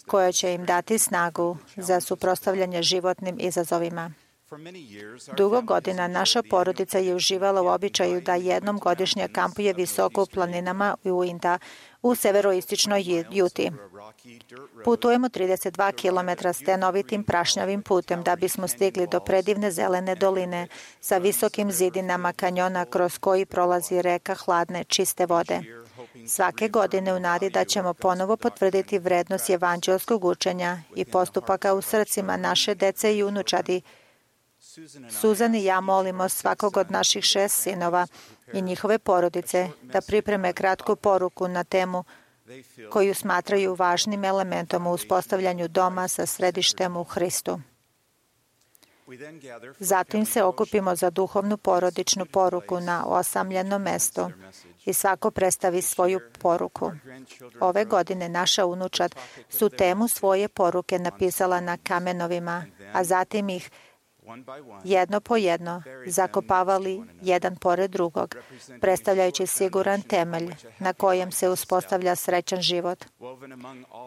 koje će im dati snagu za suprotstavljanje životnim izazovima. Dugo godina naša porodica je uživala u običaju da jednom godišnje kampuje visoko u planinama u Uinta u severoistočnoj Juti. Putujemo 32 km stenovitim prašnjavim putem da bismo stigli do predivne zelene doline sa visokim zidinama kanjona kroz koji prolazi reka hladne, čiste vode. Svake godine u nadi da ćemo ponovo potvrditi vrednost evanđelskog učenja i postupaka u srcima naše dece i unučadi, Suzan i ja molimo svakog od naših 6 sinova i njihove porodice da pripreme kratku poruku na temu koju smatraju važnim elementom u uspostavljanju doma sa središtem u Hristu. Zatim se okupimo za duhovnu porodičnu poruku na osamljenom mestu i svako predstavi svoju poruku. Ove godine naša unučad su temu svoje poruke napisala na kamenovima, a zatim ih jedno po jedno zakopavali jedan pored drugog, predstavljajući siguran temelj na kojem se uspostavlja srećan život.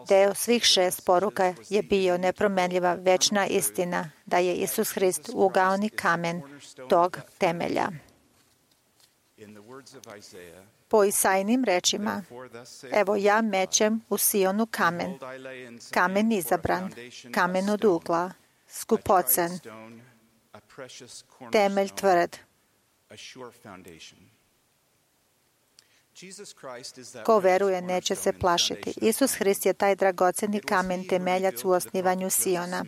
Deo svih 6 poruka je bio nepromenljiva večna istina da je Isus Hrist ugaoni kamen tog temelja. Po Isaijinim rečima, evo ja mećem u Sionu kamen, kamen izabran, kamen od ugla, skupocen, temelj tvrd. Ko veruje neće se plašiti. Isus Hrist je taj dragoceni kamen temeljac u osnivanju Siona.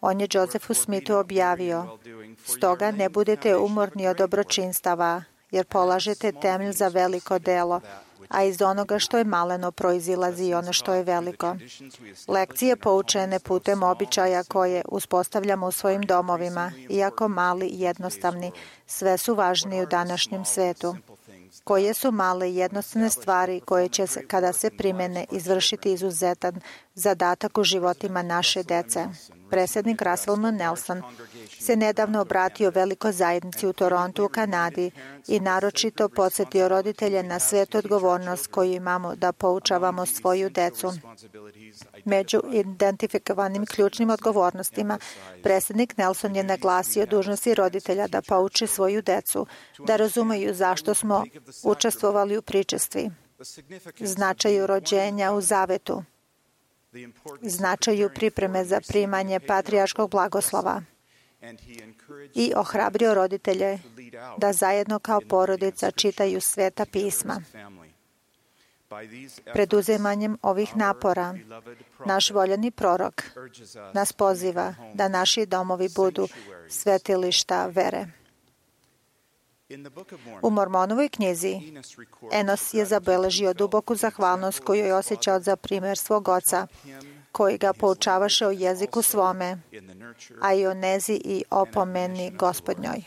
On je Josefu Smithu objavio, stoga ne budete umorni od dobročinstava, jer polažete temelj za veliko delo, a iz onoga što je maleno proizilazi i ono što je veliko. Lekcije poučene putem običaja koje uspostavljamo u svojim domovima, iako mali i jednostavni, sve su važniji u današnjem svetu. Koje su male i jednostavne stvari koje će, kada se primene, izvršiti izuzetan zadatak u životima naše dece. Predsjednik Russell M. Nelson se nedavno obratio velikoj zajednici u Torontu u Kanadi i naročito podsjetio roditelje na svetu odgovornost koju imamo da poučavamo svoju decu. Među identifikovanim ključnim odgovornostima, predsjednik Nelson je naglasio dužnosti roditelja da pouče svoju decu, da razumeju zašto smo učestvovali u pričestvi, značaju rođenja u zavetu, značaju pripreme za primanje patrijarškog blagoslova i ohrabrio roditelje da zajedno kao porodica čitaju sveta pisma. Preduzimanjem ovih napora, naš voljeni prorok nas poziva da naši domovi budu svetilišta vere. U Mormonovoj knjizi Enos je zabeležio duboku zahvalnost koju je osjećao za primjer svog oca, koji ga poučavaše o jeziku svome, a i o nezi i opomeni Gospodnjoj.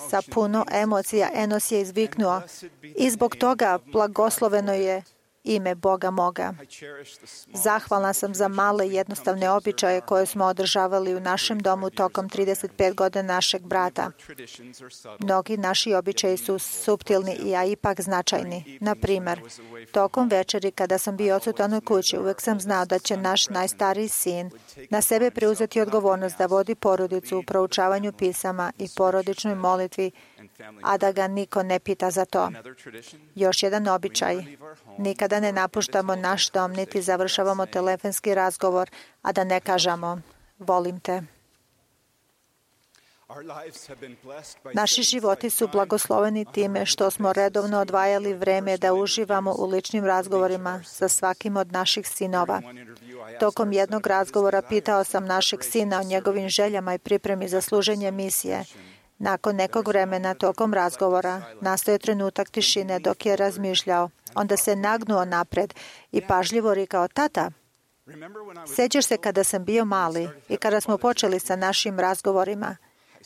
Sa puno emocija Enos je izviknuo, i zbog toga blagosloveno je ime Boga moga. Zahvalna sam za male i jednostavne običaje koje smo održavali u našem domu tokom 35 godina našeg brata. Mnogi naši običaji su suptilni, a ipak značajni. Na primer, tokom večeri kada sam bio odsutan u kući, uvek sam znao da će naš najstariji sin na sebe preuzeti odgovornost da vodi porodicu u proučavanju pisama i porodičnoj molitvi, a da ga niko ne pita za to. Još jedan običaj. Nikada ne napuštamo naš dom, niti završavamo telefonski razgovor, a da ne kažemo, volim te. Naši životi su blagosloveni time što smo redovno odvajali vreme da uživamo u ličnim razgovorima sa svakim od naših sinova. Tokom jednog razgovora pitao sam našeg sina o njegovim željama i pripremi za služenje misije. Nakon nekog vremena tokom razgovora nastao je trenutak tišine dok je razmišljao. Onda se nagnuo napred i pažljivo rekao, tata, sjećaš se kada sam bio mali i kada smo počeli sa našim razgovorima?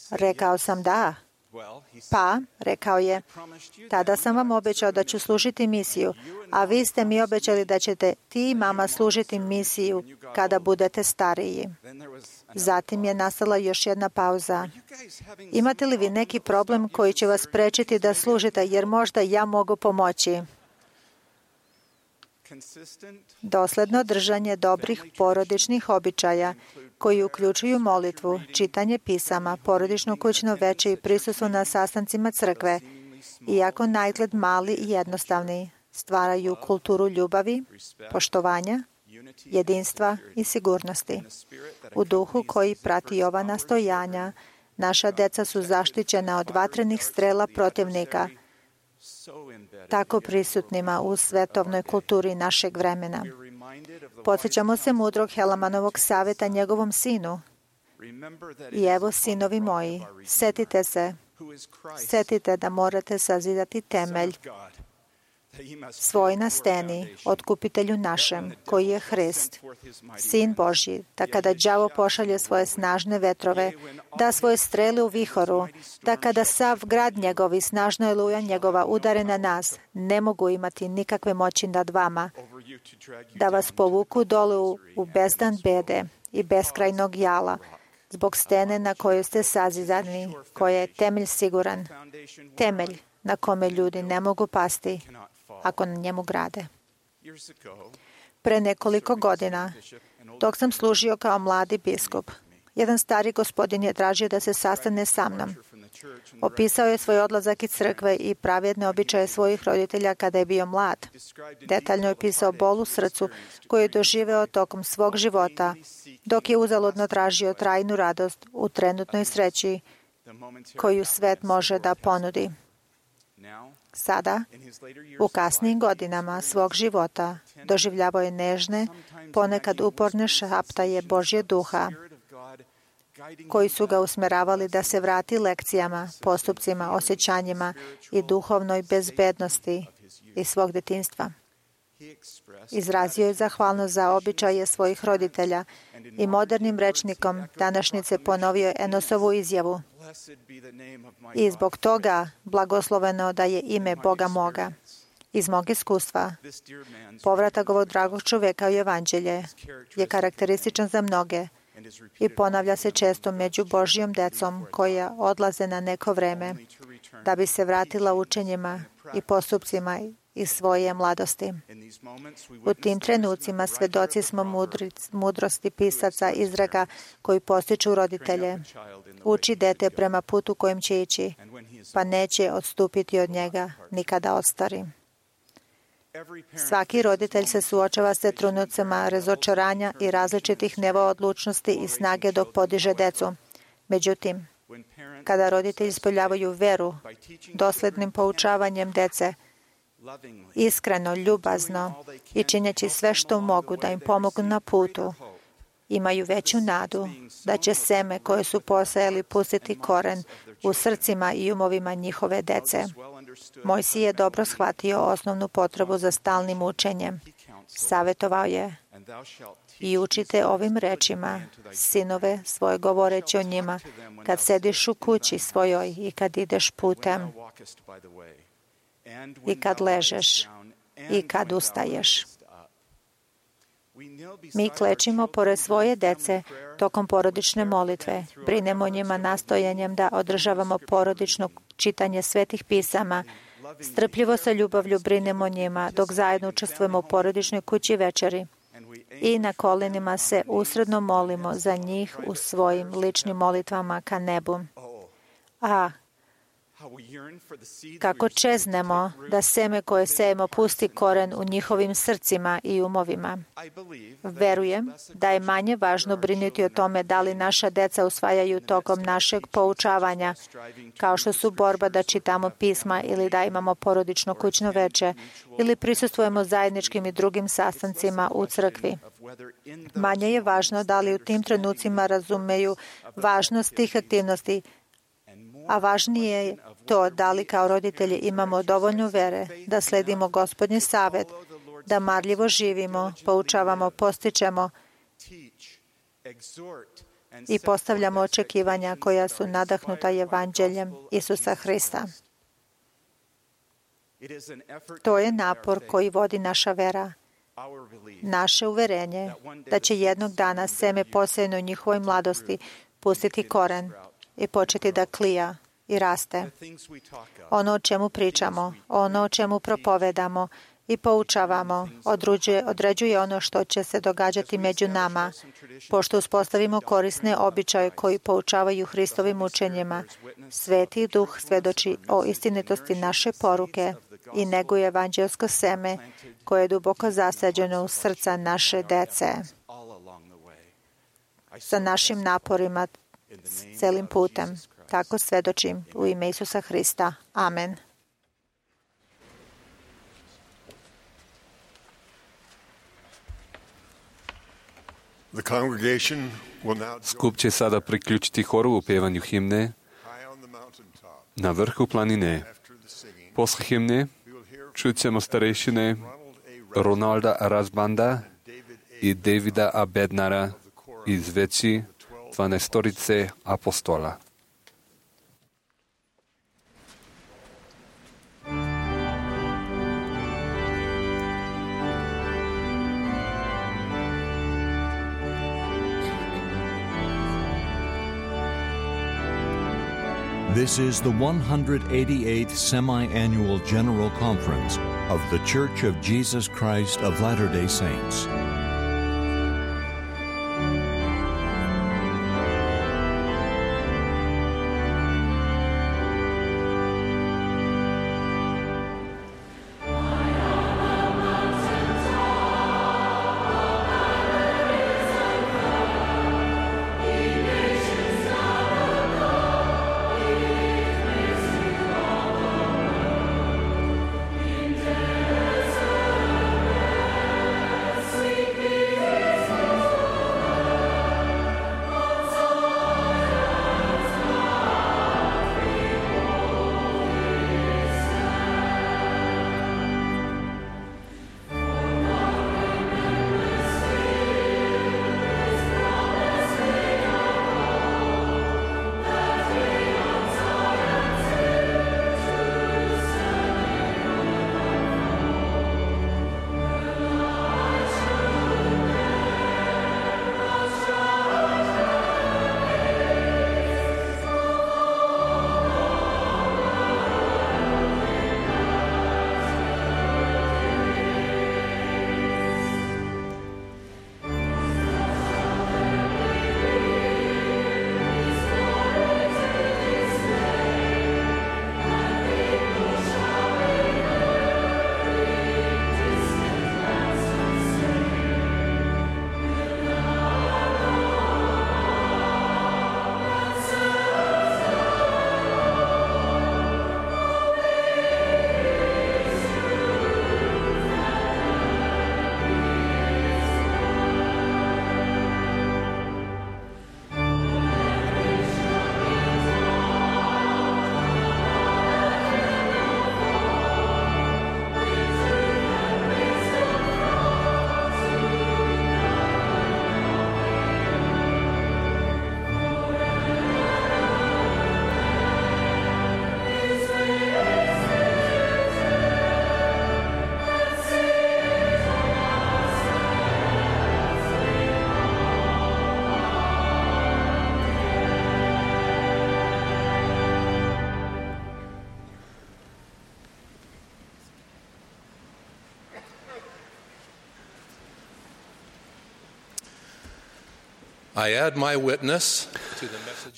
Rekao sam da. Pa, rekao je, tada sam vam obećao da ću služiti misiju, a vi ste mi obećali da ćete ti i mama služiti misiju kada budete stariji. Zatim je nastala još jedna pauza. Imate li vi neki problem koji će vas sprečiti da služite, jer možda ja mogu pomoći? Dosledno držanje dobrih porodičnih običaja koji uključuju molitvu, čitanje pisama, porodično kućno veče i prisustvo na sastancima crkve, iako naizgled mali i jednostavni, stvaraju kulturu ljubavi, poštovanja, jedinstva i sigurnosti. U duhu koji prati ova nastojanja, naša deca su zaštićena od vatrenih strela protivnika, tako prisutnima u svetovnoj kulturi našeg vremena. Podsjećamo se mudrog Helamanovog savjeta njegovom sinu. I evo, sinovi moji, setite da morate sazidati temelj svoj na steni, otkupitelju našem, koji je Hrist, Sin Božji, da kada đavo pošalje svoje snažne vetrove, da svoje strele u vihoru, da kada sav grad njegov i snažna oluja njegova udare na nas, ne mogu imati nikakve moći nad vama, da vas povuku dole u bezdan bede i beskrajnog jala, zbog stene na kojoj ste sazidani, koja je temelj siguran, temelj na kome ljudi ne mogu pasti ako na njemu grade. Pre nekoliko godina, dok sam služio kao mladi biskup, jedan stari gospodin je tražio da se sastane sa mnom. Opisao je svoj odlazak iz crkve i pravjedne običaje svojih roditelja kada je bio mlad. Detaljno je opisao bol u srcu koju je doživeo tokom svog života, dok je uzaludno tražio trajnu radost u trenutnoj sreći koju svet može da ponudi. Sada, u kasnijim godinama svog života, doživljavao je nežne, ponekad uporne šaptaje Božje duha, koji su ga usmeravali da se vrati lekcijama, postupcima, osjećanjima i duhovnoj bezbednosti iz svog detinjstva. Izrazio je zahvalnost za običaje svojih roditelja i modernim rečnikom današnjice ponovio je Enosovu izjavu: i zbog toga blagosloveno da je ime Boga moga. Iz mog iskustva, povratak ovog dragog čoveka u evanđelje je karakterističan za mnoge i ponavlja se često među Božjom decom koja odlaze na neko vreme da bi se vratila učenjima i postupcima iz svoje mladosti. U tim trenucima svedoci smo mudrosti pisaca izreka koji postiču roditelje. Uči dete prema putu kojim će ići, pa neće odstupiti od njega nikada ostari. Svaki roditelj se suočava sa trenucima razočaranja i različitih nivoa odlučnosti i snage dok podiže decu. Međutim, kada roditelji ispoljavaju veru, doslednim poučavanjem dece, iskreno, ljubazno i činjeći sve što mogu da im pomognu na putu, imaju veću nadu da će seme koje su posejali pustiti koren u srcima i umovima njihove dece. Mojsije je dobro shvatio osnovnu potrebu za stalnim učenjem. Savetovao je: i učite ovim rečima sinove svoje govoreći o njima kad sediš u kući svojoj i kad ideš putem i kad ležeš i kad ustaješ. Mi klečimo pored svoje dece tokom porodične molitve. Brinemo o njima nastojanjem da održavamo porodično čitanje svetih pisama. Strpljivo sa ljubavlju brinemo o njima dok zajedno učestvujemo u porodičnoj kući večeri. I na kolenima se usredno molimo za njih u svojim ličnim molitvama ka nebu. A kako čeznemo da seme koje sejemo pusti koren u njihovim srcima i umovima. Verujem da je manje važno brinuti o tome da li naša deca usvajaju tokom našeg poučavanja, kao što su borba da čitamo pisma ili da imamo porodično kućno veče ili prisustvujemo zajedničkim i drugim sastancima u crkvi. Manje je važno da li u tim trenucima razumeju važnost tih aktivnosti, a važnije je to da li kao roditelji imamo dovoljno vere da sledimo Gospodnji savet, da marljivo živimo, poučavamo, postičemo i postavljamo očekivanja koja su nadahnuta evanđeljem Isusa Hrista. To je napor koji vodi naša vera, naše uverenje da će jednog dana seme posejano u njihovoj mladosti pustiti koren i početi da klija i raste. Ono o čemu pričamo, ono o čemu propovedamo i poučavamo, određuje ono što će se događati među nama, pošto uspostavimo korisne običaje koji poučavaju Hristovim učenjima. Sveti Duh svedoči o istinitosti naše poruke i neguje evanđelsko seme koje je duboko zasađeno u srca naše dece. Sa našim naporima celim putem. Tako svedočim u ime Isusa Hrista. Amen. Skup će sada priključiti horu u pjevanju himne Na vrhu planine. Posle himne čut ćemo starešine Ronalda Razbanda i Davida A. Bednara iz veći 12 apostola. This is the 188th Semi-Annual General Conference of The Church of Jesus Christ of Latter-day Saints.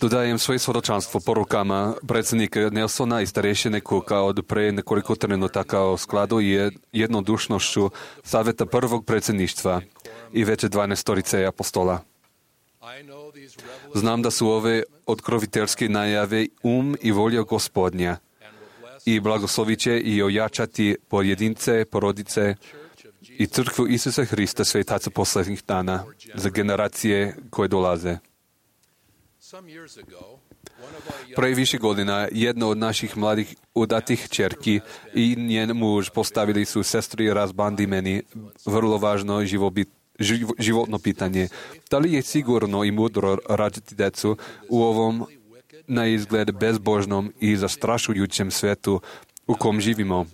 Dodajem svoje svjedočanstvo porukama predsjednika Nelsona i starešine Cooka od pre nekoliko trenutaka o skladu i jednodušnošću savjeta prvog predsjedništva i veće 12 apostola. Znam da su ove otkroviteljske najave i volja Gospodnja i blagoslovit će i ojačati pojedince, porodice i crkvu Isusa Hrista svetaca posljednjih dana za generacije koje dolaze. Pre više godina jedna od naših mladih udatih ćerki i njen muž postavili su sestri Razbandi meni vrlo važno životno pitanje. Da li je sigurno i mudro rađati decu u ovom na izgled bezbožnom i zastrašujućem svetu u kom živimo?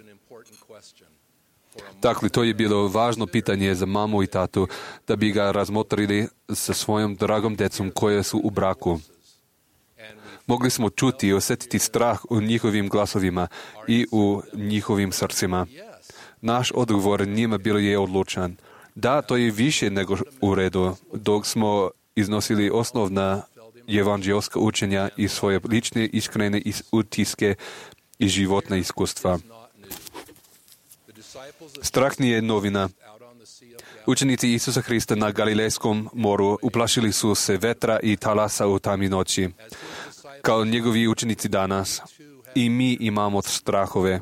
Dakle, to je bilo važno pitanje za mamu i tatu da bi ga razmotrili sa svojom dragom decom koje su u braku. Mogli smo čuti i osjetiti strah u njihovim glasovima i u njihovim srcima. Naš odgovor njima bilo je odlučan. Da, to je više nego u redu, dok smo iznosili osnovna evanđelska učenja i svoje lične iskrene utiske i životna iskustva. Strah nije novina. Učenici Isusa Hrista na Galilejskom moru uplašili su se vetra i talasa u tami noći. Kao njegovi učenici danas, i mi imamo strahove.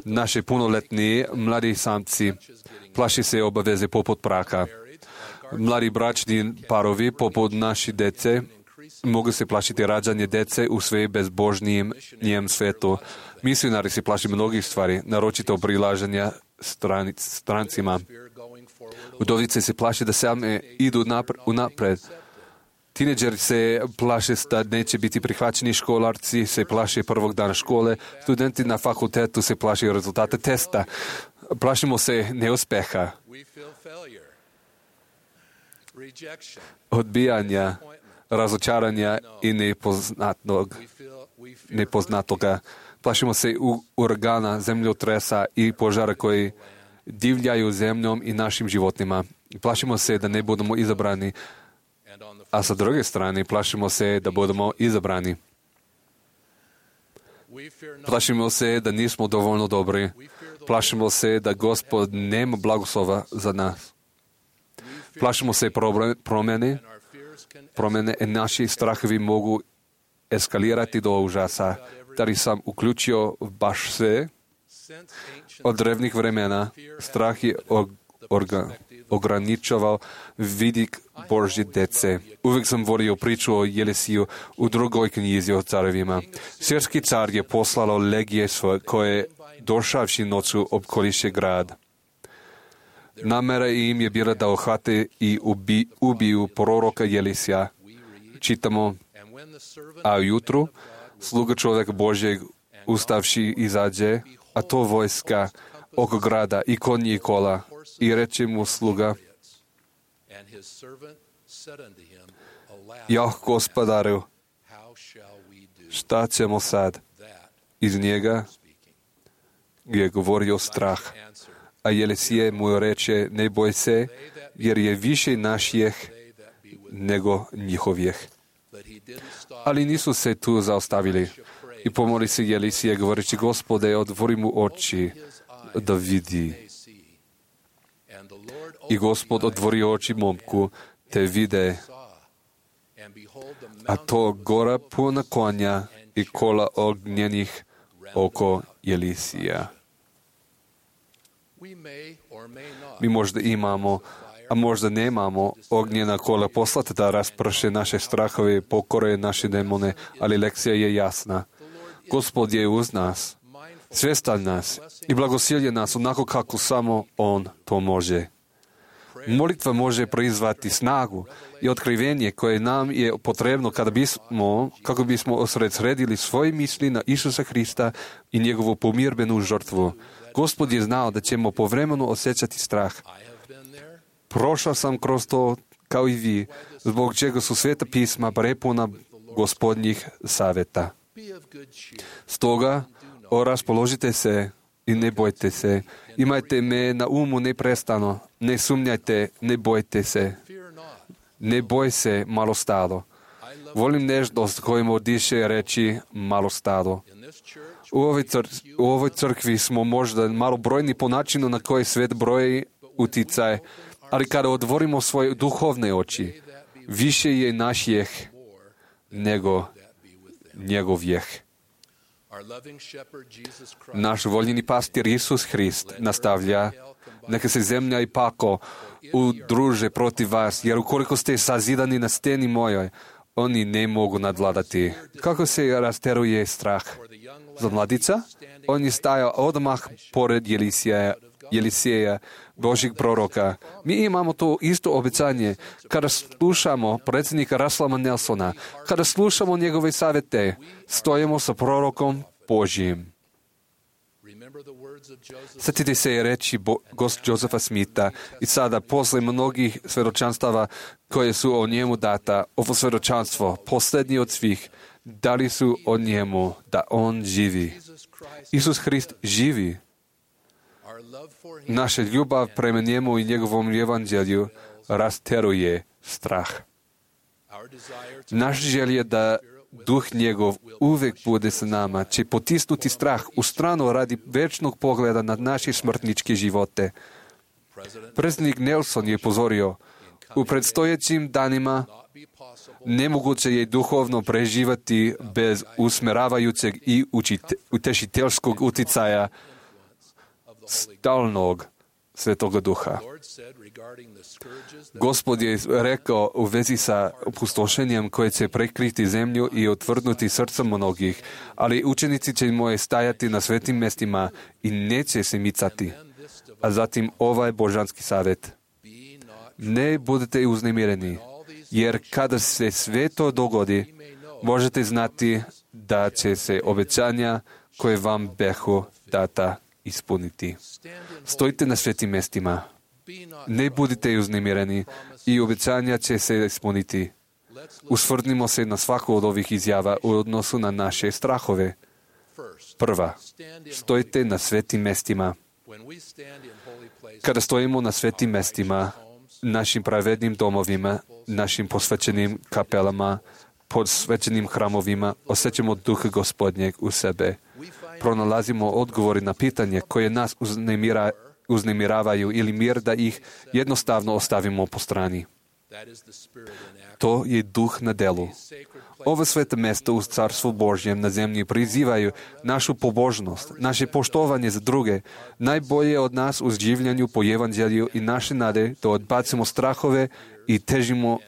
Naši punoletni mladi samci plaši se obaveze poput braka. Mladi bračni parovi poput naši dece mogu se plašiti rađanje dece u sve bezbožnijem svijetu. Misionari se plaši mnogih stvari, naročito prilaženja strancima. Udovice se plaše da same idu unapred. Tineđeri se plaše da neće biti prihvaćeni, školarci se plaše prvog dana škole, studenti na fakultetu se plaše rezultate testa. Plašimo se neuspeha, odbijanja, razočaranja i nepoznatoga. Plašimo se uragana, zemljotresa i požara koji divljaju zemljom i našim životima. Plašimo se da ne budemo izabrani, a sa druge strane plašimo se da budemo izabrani. Plašimo se da nismo dovoljno dobri. Plašimo se da Gospod nema blagoslova za nas. Plašimo se promjene i naši strahovi mogu eskalirati do užasa. Da sam uključio baš sve od drevnih vremena. Strah je ograničavao vidik Božje dece. Uvijek sam volio priču o Jelisiju u drugoj knjizi o carevima. Sirski car je poslalo legije svoje koje došavši noću opkoliše grad. Namera im je bila da uhvate i ubiju proroka Jelisija. Čitamo, a ujutru sluga čovjek Božjeg ustavši izađe, a to vojska oko grada i konji i kola. I reče mu sluga, jah, gospodaru, šta ćemo sad? Iz njega je govorio strah. A Jelisije mu reče, ne boj se, jer je više naših nego njihovih. Ali nisu se tu zaostavili. I pomoli se Jelisije, govoreći, Gospode, otvori mu oči da vidi. I Gospod otvori oči momku, te vide, a to gora puna konja i kola ognjenih oko Jelisija. Mi možda imamo, a možda nemamo ognjena kola poslati da rasprše naše strahove, pokore naše demone, ali lekcija je jasna. Gospod je uz nas, svjestan nas i blagosilje nas onako kako samo On to može. Molitva može proizvati snagu i otkrivenje koje nam je potrebno kako bismo osredsredili svoje misli na Isusa Hrista i njegovu pomirbenu žrtvu. Gospod je znao da ćemo povremeno osjećati strah. Prošao sam kroz to kao i vi, zbog čega su Sveta pisma prepuna Gospodnjih savjeta. Stoga, raspoložite se i ne bojte se. Imajte me na umu neprestano. Ne sumnjajte, ne bojte se. Ne boj se, malo stado. Volim nežnost kojim odiše reći malo stado. U ovoj crkvi smo možda malo brojni po načinu na koji svijet broji uticaj, ali kada otvorimo svoje duhovne oči, više je naših nego njegovih. Naš voljeni pastir Isus Hrist nastavlja, neka se zemlja i pako udruže protiv vas, jer ukoliko ste sazidani na steni mojoj, oni ne mogu nadvladati. Kako se rasteruje strah? Za mladica? On je stajao odmah pored Jeliseja, Božjeg proroka. Mi imamo to isto obećanje. Kada slušamo predsjednika Russella Nelsona, kada slušamo njegove savjete, stojimo sa prorokom Božjim. Sjetite se reći Josefa Smitha i sada posle mnogih svjedočanstava koje su o njemu data, ovo svjedočanstvo, posljednji od svih, dali su o njemu da on živi. Isus Hrist živi. Naša ljubav prema njemu i njegovom evanđelju rasteruje strah. Naš želj je da Duh njegov uvek bude sa nama, će potisnuti strah u stranu radi večnog pogleda na naše smrtničke živote. Predsjednik Nelson je pozorio, u predstojećim danima nemoguće je duhovno preživati bez usmeravajućeg i utešiteljskog uticaja stalnog Svetoga Duha. Gospod je rekao u vezi sa opustošenjem koje će prekriti zemlju i otvrdnuti srca mnogih, ali učenici će moje stajati na svetim mestima i neće se micati. A zatim ovaj božanski savjet. Ne budete uznemireni, jer kada se sve to dogodi, možete znati da će se obećanja koje vam behu data ispuniti. Stojite na svetim mestima. Ne budite uznemireni i obećanja će se ispuniti. Usvrdnimo se na svaku od ovih izjava u odnosu na naše strahove. Prva, stojite na svetim mestima. Kada stojimo na svetim mestima, našim pravednim domovima, našim posvećenim kapelama, posvećenim hramovima, osjećamo duh Gospodnjeg u sebe. Pronalazimo odgovori na pitanje koje nas uznemiravaju ili mir da ih jednostavno ostavimo po strani. To je duh na delu. Ova sveta mesta u Carstvu Božjem na zemlji prizivaju našu pobožnost, naše poštovanje za druge, najbolje od nas u življenju po evanđelju i naše nade da odbacimo strahove i težimo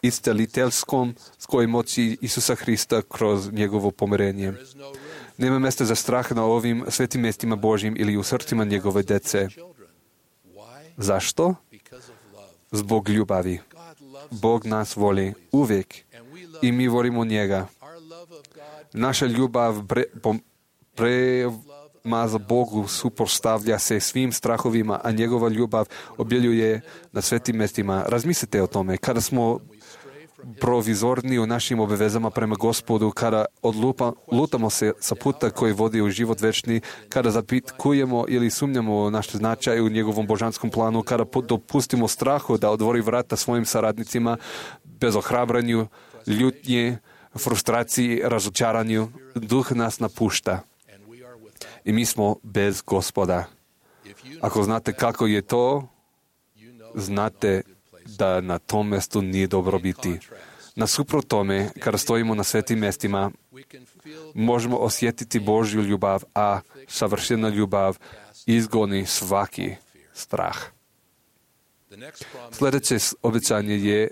isceliteljskom skoj moći Isusa Hrista kroz njegovo pomirenje. Nema mesta za strah na ovim svetim mestima Božjim ili u srcima njegove dece. Zašto? Zbog ljubavi. Bog nas voli uvijek i mi volimo njega. Naša ljubav prema za Bogu suprotstavlja se svim strahovima, a njegova ljubav objeljuje na svetim mestima. Razmislite o tome. Kada smo provizorni u našim obavezama prema Gospodu, kada lutamo se sa puta koji vodi u život večni, kada zapitkujemo ili sumnjamo u naš značaj u njegovom božanskom planu, kada dopustimo strahu da otvori vrata svojim saradnicima, bez ohrabranju, ljutnje, frustraciji, razočaranju, duh nas napušta. I mi smo bez Gospoda. Ako znate kako je to, znate da na tom mjestu nije dobro biti. Nasuprot tome, kada stojimo na svetim mjestima, možemo osjetiti Božju ljubav, a savršena ljubav izgoni svaki strah. Sljedeće obećanje je: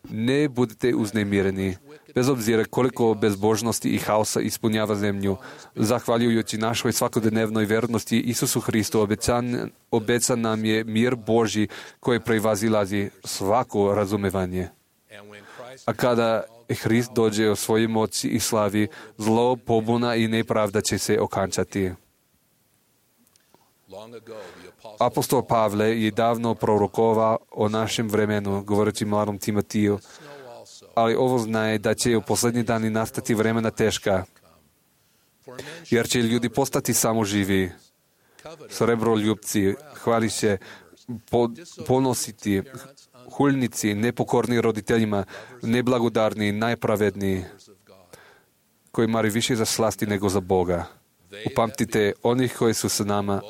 ne budite uznemireni, bez obzira koliko bezbožnosti i haosa ispunjava zemlju. Zahvaljujući našoj svakodnevnoj vernosti Isusu Hristu, obećan nam je mir Božji koji prevazilazi svako razumevanje. A kada Hrist dođe o svojoj moći i slavi, zlo, pobuna i nepravda će se okončati. Apostol Pavle je davno prorokovao o našem vremenu, govoreći mladom Timotiju, ali ovo znaje da će u posljednji dani nastati vremena teška, jer će ljudi postati samoživi, srebroljupci, hvališe, ponositi, huljnici, nepokorni roditeljima, neblagodarni, najpravedniji, koji mari više za slasti nego za Boga. Upamtite onih koji su sa nama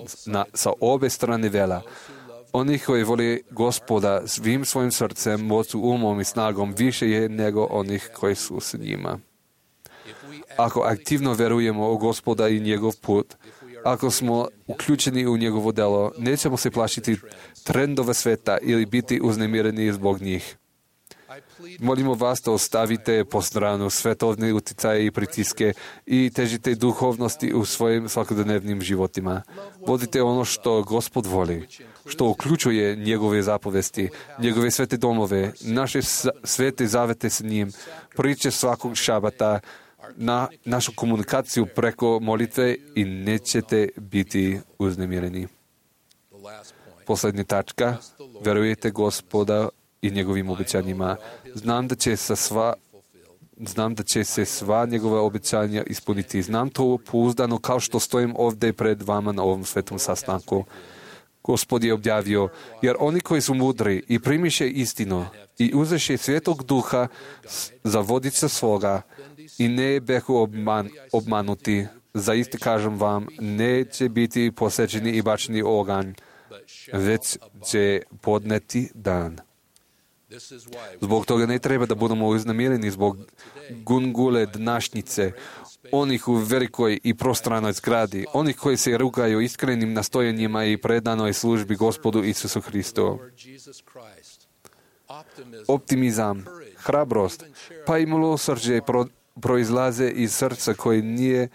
sa obe strane vela, onih koji vole Gospoda svim svojim srcem, moću, umom i snagom više je nego onih koji su s njima. Ako aktivno verujemo u Gospoda i njegov put, ako smo uključeni u njegovo delo, nećemo se plašiti trendova sveta ili biti uznemireni zbog njih. Molimo vas da ostavite po stranu svetovne uticaje i pritiske i težite duhovnosti u svojim svakodnevnim životima. Vodite ono što Gospod voli, što uključuje njegove zapovesti, njegove svete domove, naše svete zavete s njim, priče svakog šabata, na našu komunikaciju preko molitve i nećete biti uznemireni. Posljednja tačka, verujete Gospoda i njegovim obećanjima. Znam da će se sva njegova obećanja ispuniti. Znam to pouzdano kao što stojim ovdje pred vama na ovom svetom sastanku. Gospod je objavio, jer oni koji su mudri i primiše istinu i uzeše Svetog Duha za vodiča svoga i ne behu obmanuti, zaista kažem vam, neće biti posečeni i bačeni oganj, već će podneti dan. Zbog toga ne treba da budemo uznemireni zbog gungule današnjice, onih u velikoj i prostranoj zgradi, onih koji se rugaju iskrenim nastojanjima i predanoj službi Gospodu Isusu Hristu. Optimizam, hrabrost, pa i milosrđe proizlaze iz srca koje nije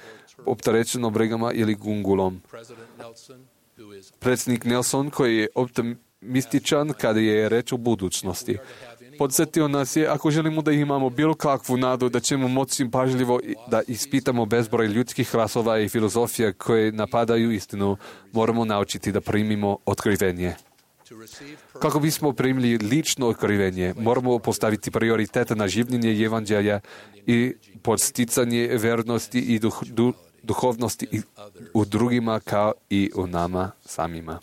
opterećeno brigama ili gungulom. Predsjednik Nelson, koji je optimističan kada je reč o budućnosti, podsjetio nas je, ako želimo da imamo bilo kakvu nadu, da ćemo moći pažljivo da ispitamo bezbroj ljudskih rasova i filozofija koje napadaju istinu, moramo naučiti da primimo otkrivenje. Kako bismo primili lično otkrivenje, moramo postaviti prioritete na življenje evanđelja i podsticanje vernosti i duhovnosti u drugima kao i u nama samima.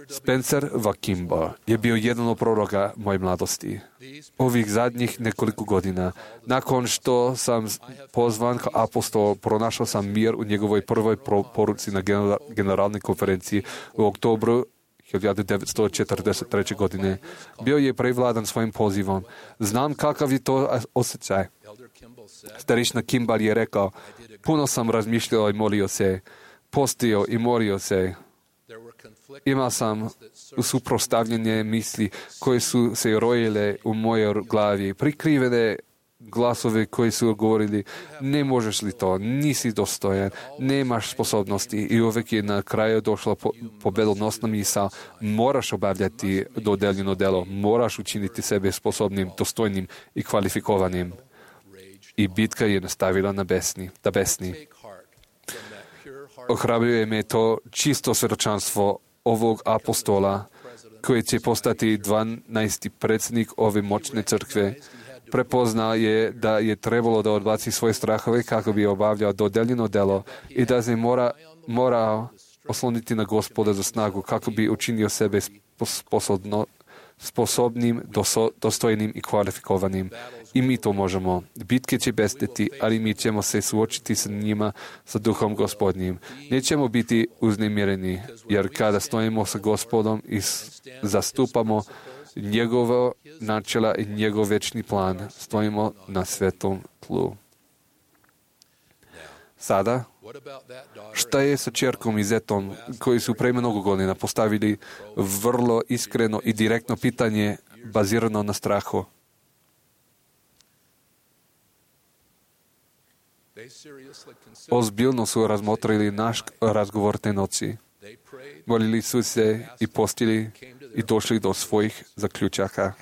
Spencer Vakimbo je bio jedan od proroka moje mladosti. Ovih zadnjih nekoliko godina, nakon što sam pozvan kao apostol, pronašao sam mir u njegovoj prvoj poruci na generalnoj konferenciji u oktobru 1943. godine. Bio je prevladan svojim pozivom. Znam kakav je to osjećaj. Starešina Kimball je rekao, puno sam razmišljao i molio se, postio i molio se. Imao sam suprotstavljene misli koje su se rojile u mojoj glavi, prikrivene glasove koji su govorili, ne možeš li to, nisi dostojan, nemaš sposobnosti, i uvek je na kraju došla pobedonosna misao, moraš obavljati dodeljeno delo, moraš učiniti sebe sposobnim, dostojnim i kvalifikovanim. I bitka je nastavila da besni. Ohrabruje me to čisto svjedočanstvo ovog apostola, koji će postati 12. predsjednik ove moćne crkve. Prepoznao je da je trebalo da odbaci svoje strahove kako bi obavljao dodeljeno delo i da se mora osloniti na Gospoda za snagu kako bi učinio sebe sposobnim, dostojnim i kvalifikovanim. I mi to možemo. Bitke će besteti, ali mi ćemo se suočiti sa njima, sa Duhom Gospodnjim. Nećemo biti uznemireni, jer kada stojimo sa Gospodom i zastupamo njegovo načela i njegov večni plan, stojimo na svetom tlu. Sada, šta je sa čerkom i zetom koji su pre mnogo godina postavili vrlo iskreno i direktno pitanje bazirano na strahu? Ozbiljno su razmotrili naš razgovor te noći. Molili su se i postili i došli do svojih zaključaka.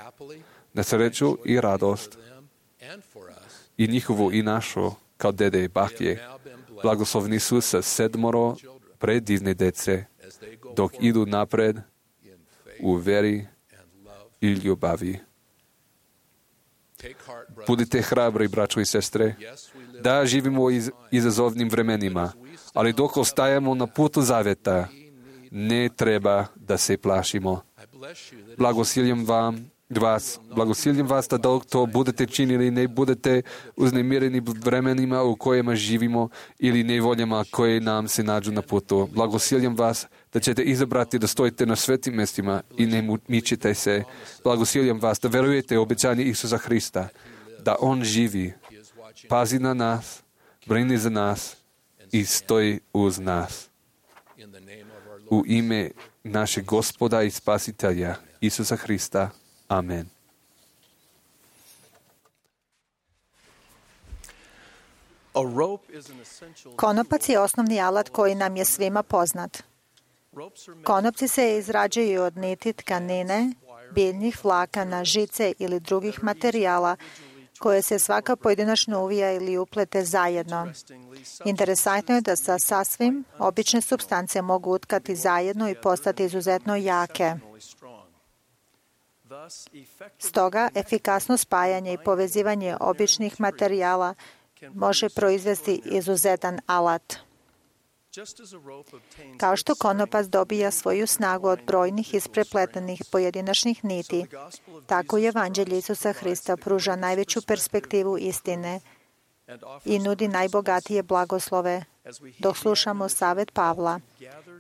Na sreću i radost i njihovu i našu, kao dede i bake, blagoslovni su sa 7 predivne dece, dok idu napred u veri i ljubavi. Budite hrabri, braćo i sestre. Da, živimo u izazovnim vremenima, ali dok ostajemo na putu zaveta, ne treba da se plašimo. Blagosiljam vas da dok to budete činili, ne budete uznemireni vremenima u kojima živimo ili nevoljama koje nam se nađu na putu. Blagosiljam vas da ćete izabrati da stojite na svetim mjestima i ne mičite se. Blagosiljam vas da verujete u obećanje Isusa Hrista, da On živi, pazi na nas, brini za nas i stoji uz nas. U ime našeg Gospoda i Spasitelja, Isusa Hrista. Amen. Konopac je osnovni alat koji nam je svima poznat. Konopci se izrađuju od niti, tkanine, biljnih vlakana, žice ili drugih materijala koje se svaka pojedinačno uvija ili uplete zajedno. Interesantno je da sa sasvim obične supstance mogu utkati zajedno i postati izuzetno jake. Stoga, efikasno spajanje i povezivanje običnih materijala može proizvesti izuzetan alat. Kao što konopac dobija svoju snagu od brojnih isprepletenih pojedinačnih niti, tako i Evanđelje Isusa Hrista pruža najveću perspektivu istine i nudi najbogatije blagoslove, dok slušamo savet Pavla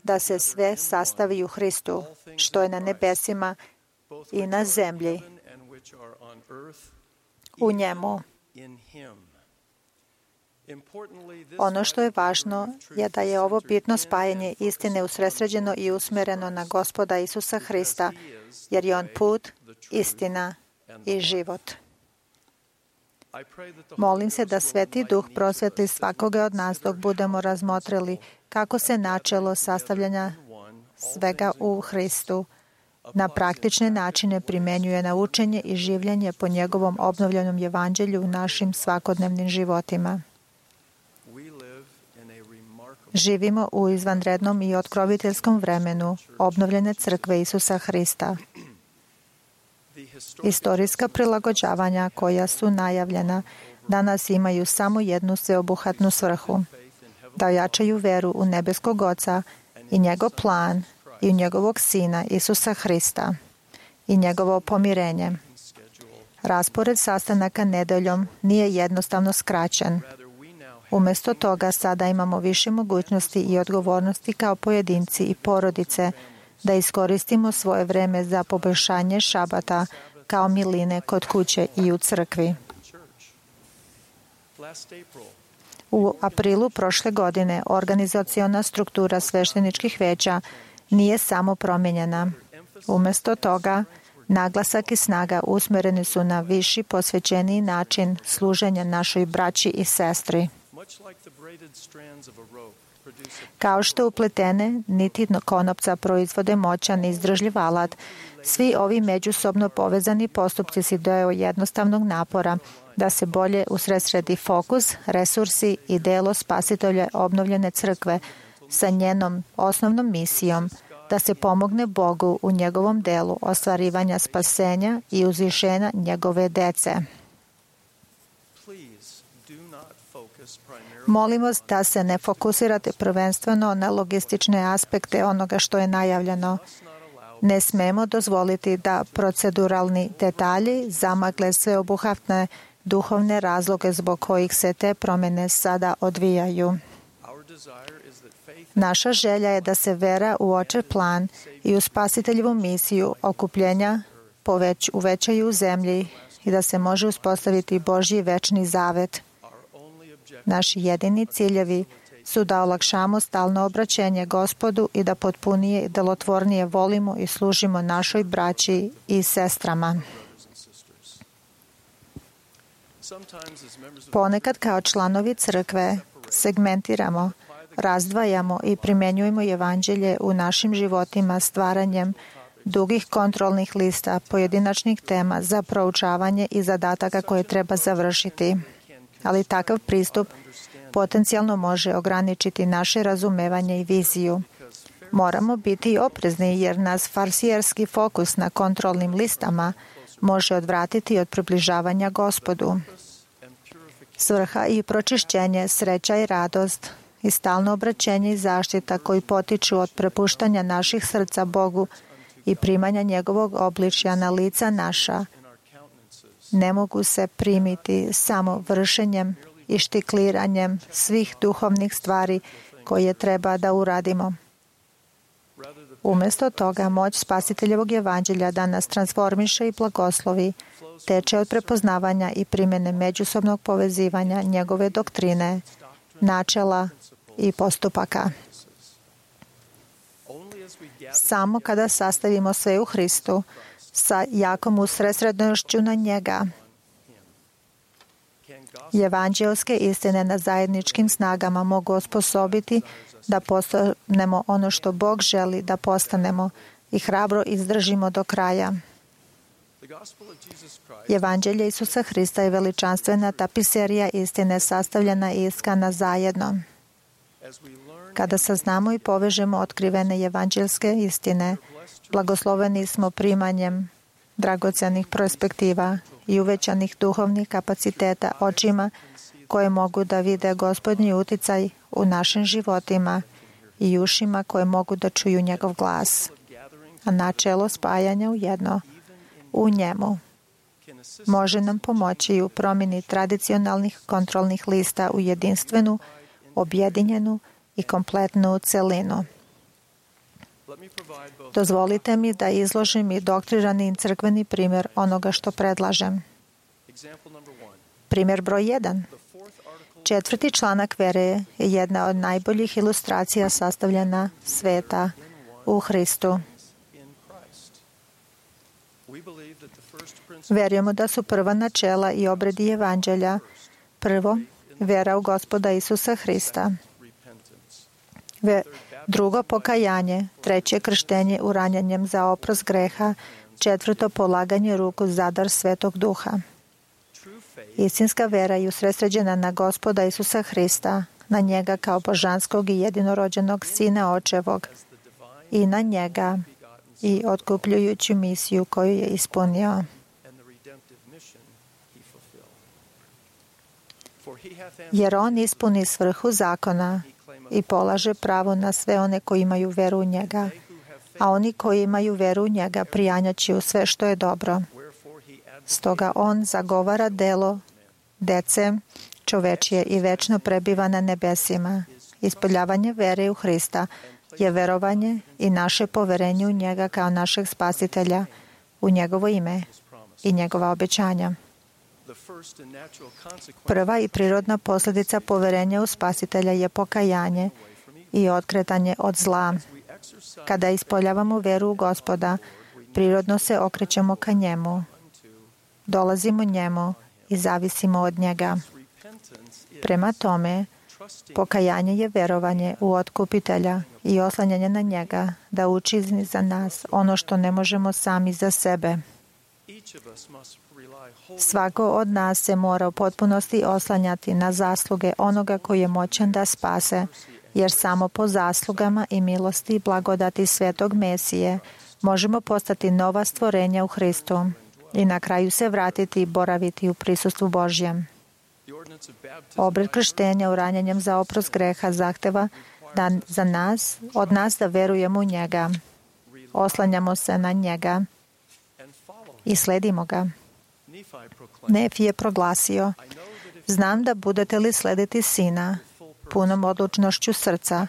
da se sve sastavi u Hristu, što je na nebesima i na zemlji, u njemu. Ono što je važno je da je ovo bitno spajanje istine usredsređeno i usmereno na Gospoda Isusa Hrista, jer je On put, istina i život. Molim se da Sveti Duh prosvetli svakoga od nas dok budemo razmotrili kako se načelo sastavljanja svega u Hristu na praktične načine primenjuje na učenje i življenje po njegovom obnovljenom evanđelju u našim svakodnevnim životima. Živimo u izvanrednom i otkroviteljskom vremenu obnovljene crkve Isusa Hrista. Istorijska prilagođavanja koja su najavljena danas imaju samo jednu sveobuhvatnu svrhu, da ojačaju veru u nebeskog Oca i njegov plan i u njegovog Sina Isusa Hrista i njegovo pomirenje. Raspored sastanaka nedeljom nije jednostavno skraćen. Umjesto toga sada imamo više mogućnosti i odgovornosti kao pojedinci i porodice da iskoristimo svoje vreme za poboljšanje šabata kao miline kod kuće i u crkvi. U aprilu prošle godine organizaciona struktura svešteničkih veća nije samo promijenjena. Umjesto toga, naglasak i snaga usmjereni su na viši, posvećeniji način služenja našoj braći i sestri. Kao što upletene niti konopca proizvode moćan i izdržljiv alat, svi ovi međusobno povezani postupci si daju jednostavnog napora da se bolje usredsredi fokus, resursi i delo spasitelja obnovljene crkve sa njenom osnovnom misijom da se pomogne Bogu u njegovom delu ostvarivanja spasenja i uzvišenja njegove dece. Molim vas da se ne fokusirate prvenstveno na logistične aspekte onoga što je najavljeno. Ne smemo dozvoliti da proceduralni detalji zamagle sveobuhvatne duhovne razloge zbog kojih se te promjene sada odvijaju. Naša želja je da se vera u Očev plan i u spasiteljevu misiju okupljenja uvećaju u zemlji i da se može uspostaviti Božji večni zavet. Naši jedini ciljevi su da olakšamo stalno obraćenje Gospodu i da potpunije i delotvornije volimo i služimo našoj braći i sestrama. Ponekad kao članovi crkve segmentiramo, razdvajamo i primjenjujemo evanđelje u našim životima stvaranjem dugih kontrolnih lista pojedinačnih tema za proučavanje i zadataka koje treba završiti. Ali takav pristup potencijalno može ograničiti naše razumevanje i viziju. Moramo biti oprezni jer nas farsijerski fokus na kontrolnim listama može odvratiti od približavanja Gospodu. Svrha i pročišćenje, sreća i radost i stalno obraćenje i zaštita koji potiču od prepuštanja naših srca Bogu i primanja njegovog obličja na lica naša ne mogu se primiti samo vršenjem i štikliranjem svih duhovnih stvari koje treba da uradimo. Umjesto toga, moć spasiteljevog evanđelja da nas transformiše i blagoslovi teče od prepoznavanja i primjene međusobnog povezivanja njegove doktrine, načela i postupaka. Samo kada sastavimo sve u Hristu, sa jakom usredsrednošću na njega, evanđelske istine na zajedničkim snagama mogu osposobiti da postanemo ono što Bog želi da postanemo i hrabro izdržimo do kraja. Evanđelje Isusa Hrista je veličanstvena tapiserija istine sastavljena i iskana zajedno. Kada saznamo i povežemo otkrivene evanđelske istine, blagosloveni smo primanjem dragocenih perspektiva i uvećanih duhovnih kapaciteta očima koje mogu da vide Gospodnji uticaj u našim životima i ušima koje mogu da čuju njegov glas. A načelo spajanja u jedno, u njemu, može nam pomoći u promjeni tradicionalnih kontrolnih lista u jedinstvenu, objedinjenu i kompletnu celinu. Dozvolite mi da izložim i doktrinarni crkveni primjer onoga što predlažem. Primjer broj 1. 4. članak vere je jedna od najboljih ilustracija sastavljena sveta u Hristu. Verujemo da su prva načela i obredi evanđelja: prvo, vera u Gospoda Isusa Hrista; drugo, pokajanje; treće, krštenje uranjanjem za oprost greha; četvrto, polaganje ruku za dar Svetog Duha. Istinska vera je usredsređena na Gospoda Isusa Hrista, na njega kao božanskog i jedinorođenog Sina Očevog, i na njega i otkupljujuću misiju koju je ispunio. Jer on ispuni svrhu zakona i polaže pravo na sve one koji imaju veru u njega, a oni koji imaju veru u njega prijanjaće u sve što je dobro. Stoga on zagovara delo dece čovečije i večno prebiva na nebesima. Ispoljavanje vere u Hrista je verovanje i naše poverenje u njega kao našeg spasitelja, u njegovo ime i njegova obećanja. Prva i prirodna posljedica poverenja u spasitelja je pokajanje i otkretanje od zla. Kada ispoljavamo veru u Gospoda, prirodno se okrećemo ka njemu, dolazimo njemu i zavisimo od njega. Prema tome, pokajanje je verovanje u otkupitelja i oslanjanje na njega da učini za nas ono što ne možemo sami za sebe. Svako od nas se mora u potpunosti oslanjati na zasluge onoga koji je moćan da spase, jer samo po zaslugama i milosti i blagodati Svetog Mesije možemo postati nova stvorenja u Hristu i na kraju se vratiti i boraviti u prisustvu Božjem. Obred krštenja uranjanjem za oprost greha zahteva od nas da verujemo u njega, oslanjamo se na njega i sledimo ga. Nefi je proglasio: znam da budete li slediti Sina punom odlučnošću srca,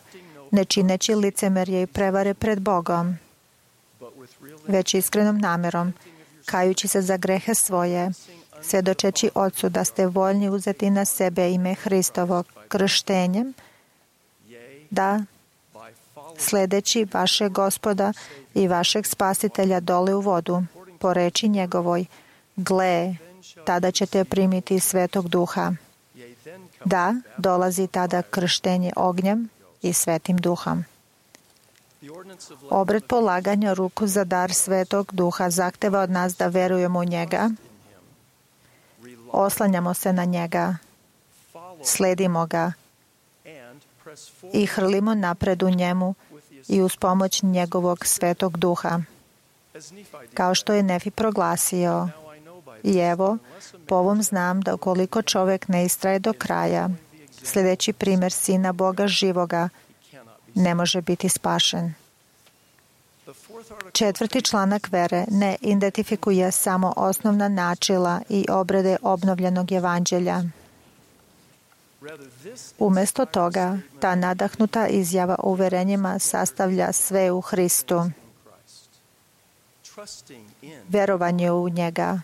ne čineći licemerje i prevare pred Bogom, već iskrenom namerom, kajući se za grehe svoje, svjedočeći Otcu da ste voljni uzeti na sebe ime Hristovo krštenjem, da, sledeći vašeg Gospoda i vašeg Spasitelja dole u vodu, po reči njegovoj, gle, tada ćete primiti Svetog Duha. Da, dolazi tada krštenje ognjem i Svetim Duhom. Obred polaganja ruku za dar Svetog Duha zahteva od nas da verujemo u njega, oslanjamo se na njega, sledimo ga i hrlimo napred u njemu i uz pomoć njegovog Svetog Duha. Kao što je Nefi proglasio: i evo, po ovom znam da ukoliko čovjek ne istraje do kraja, sljedeći primjer Sina Boga živoga, ne može biti spašen. 4. članak vere ne identifikuje samo osnovna načela i obrede obnovljenog evanđelja. Umjesto toga, ta nadahnuta izjava o uverenjima sastavlja sve u Hristu. Verovanje u njega,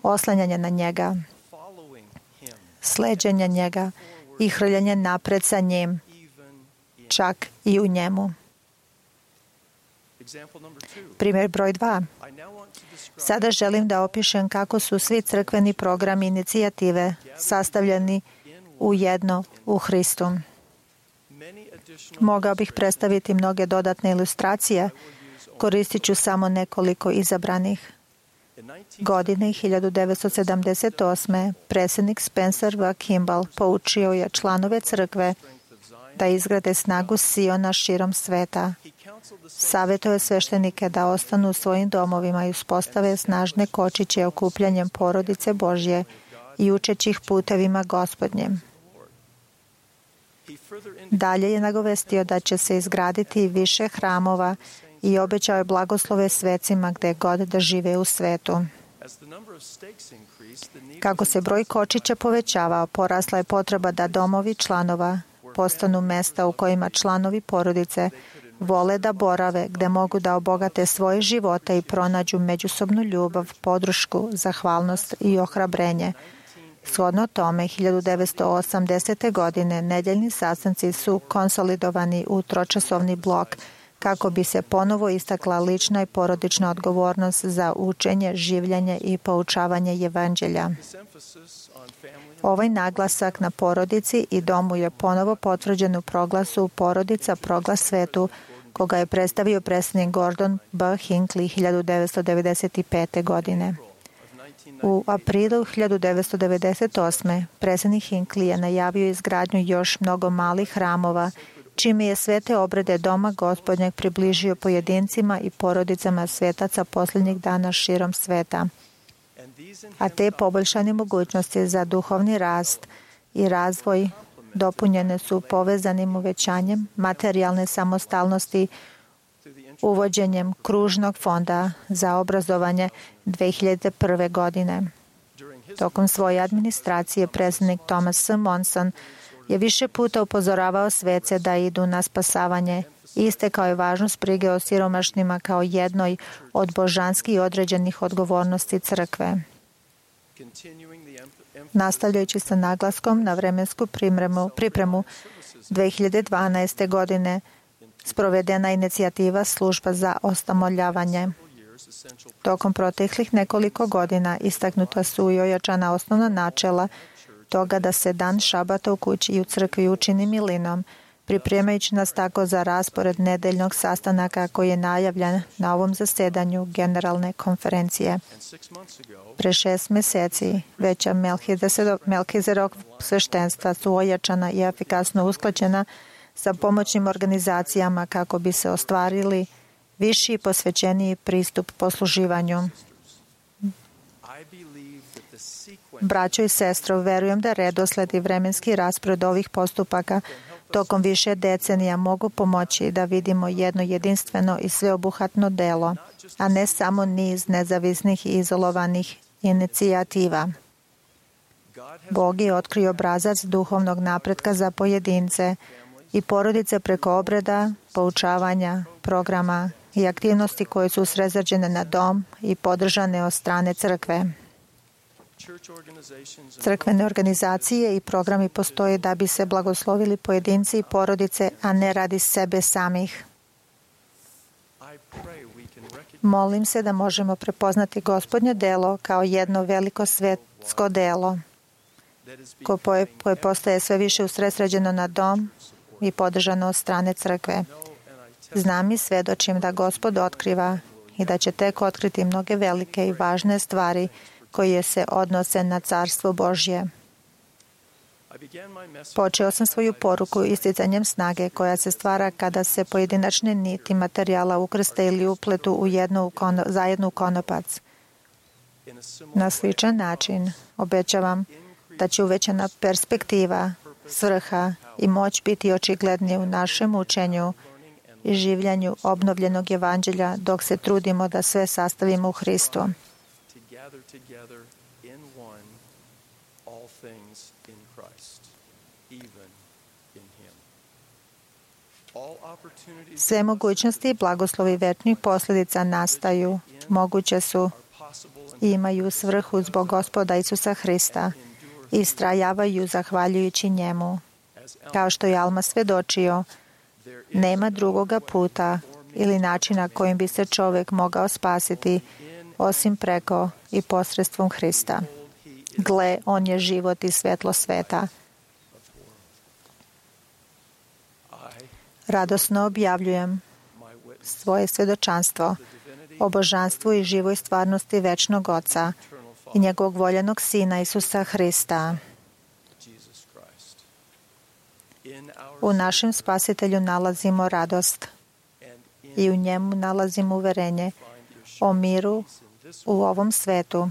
oslanjanje na njega, sleđenje njega i hrljenje napred sa njim, čak i u njemu. Primjer broj 2. Sada želim da opišem kako su svi crkveni programi i inicijative sastavljeni u jedno u Hristu. Mogao bih predstaviti mnoge dodatne ilustracije, koristit ću samo nekoliko izabranih. Godine 1978. predsjednik Spencer W. Kimball poučio je članove crkve da izgrade snagu Siona širom sveta. Savjetuje sveštenike da ostanu u svojim domovima i uspostave snažne kočiće okupljanjem porodice Božje i učeći ih putevima Gospodnjim. Dalje je nagovestio da će se izgraditi više hramova i obećao je blagoslove svecima gde god da žive u svetu. Kako se broj kočića povećavao, porasla je potreba da domovi članova postanu mesta u kojima članovi porodice vole da borave, gde mogu da obogate svoje živote i pronađu međusobnu ljubav, podršku, zahvalnost i ohrabrenje. Shodno tome, 1980. godine nedeljni sastanci su konsolidovani u tročasovni blok kako bi se ponovo istakla lična i porodična odgovornost za učenje, življenje i poučavanje evanđelja. Ovaj naglasak na porodici i domu je ponovo potvrđen u proglasu Porodica proglas svetu, koga je predstavio predsjednik Gordon B. Hinckley 1995. godine. U aprilu 1998. predsjednik Hinckley je najavio izgradnju još mnogo malih hramova, čime je svete obrede Doma Gospodnjeg približio pojedincima i porodicama svetaca posljednjih dana širom sveta. A te poboljšane mogućnosti za duhovni rast i razvoj dopunjene su povezanim uvećanjem materijalne samostalnosti, uvođenjem kružnog fonda za obrazovanje 2001. godine. Tokom svoje administracije predsjednik Thomas S. Monson je više puta upozoravao svece da idu na spasavanje i istakao je važnost brige o siromašnima kao jednoj od božanski određenih odgovornosti crkve. Nastavljajući sa naglaskom na vremensku pripremu 2012. godine sprovedena je inicijativa Služba za osamoljavanje. Tokom proteklih nekoliko godina istaknuta su i ojačana osnovna načela toga da se dan šabata u kući i u crkvi učini milinom, pripremajući nas tako za raspored nedeljnog sastanaka koji je najavljen na ovom zasedanju Generalne konferencije. Pre 6 meseci veća Melkizedekov sveštenstva su ojačana i efikasno usklađena sa pomoćnim organizacijama kako bi se ostvarili viši i posvećeniji pristup posluživanju. Braćo i sestro, verujem da redosled i vremenski raspored ovih postupaka tokom više decenija mogu pomoći da vidimo jedno jedinstveno i sveobuhvatno delo, a ne samo niz nezavisnih i izolovanih inicijativa. Bog je otkrio obrazac duhovnog napretka za pojedince i porodice preko obreda, poučavanja, programa i aktivnosti koje su usredsređene na dom i podržane od strane crkve. Crkvene organizacije i programi postoje da bi se blagoslovili pojedinci i porodice, a ne radi sebe samih. Molim se da možemo prepoznati Gospodnje delo kao jedno veliko svetsko delo koje postaje sve više usredsređeno na dom i podržano od strane crkve. Znam i svedočim da Gospod otkriva i da će tek otkriti mnoge velike i važne stvari koje se odnose na Carstvo Božje. Počeo sam svoju poruku isticanjem snage koja se stvara kada se pojedinačne niti materijala ukrste ili upletu zajedno u konopac. Na sličan način obećavam da će uvećana perspektiva, svrha i moć biti očiglednije u našem učenju i življanju obnovljenog evanđelja dok se trudimo da sve sastavimo u Hristu. Sve mogućnosti i blagoslovi večnih posljedica nastaju, moguće su i imaju svrhu zbog Gospoda Isusa Hrista i istrajavaju zahvaljujući njemu. Kao što je Alma svedočio, nema drugoga puta ili načina kojim bi se čovjek mogao spasiti osim preko i posredstvom Hrista. Gle, on je život i svetlo sveta. Radosno objavljujem svoje svedočanstvo o božanstvu i živoj stvarnosti večnog Oca i njegovog voljenog Sina Isusa Hrista. U našem Spasitelju nalazimo radost i u njemu nalazimo uverenje o miru u ovom svetu,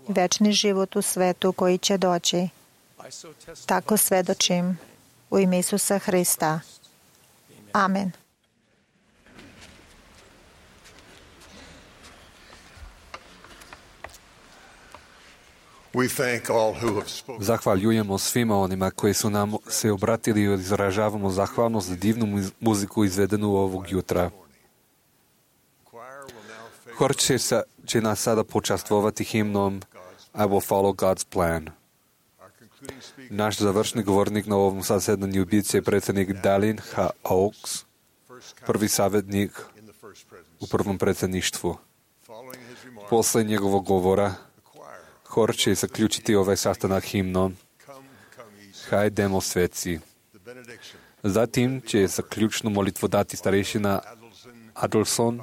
večni život u svetu koji će doći. Tako svedočim U ime Isusa Hrista. Amen. Zahvaljujemo svima onima koji su nam se obratili i izražavamo zahvalnost za divnu muziku izvedenu ovog jutra. Hor će nas sada počastvovati himnom I will follow God's plan. Naš završni govornik na ovom zasedanju bit će predsjednik Dallin H. Oaks, prvi savjetnik u prvom predsjedništvu. Posle njegovog govora hor će zaključiti ovaj sastanak himnom Hajdemo sveci. Zatim će zaključnu molitvu dati starešina Adelson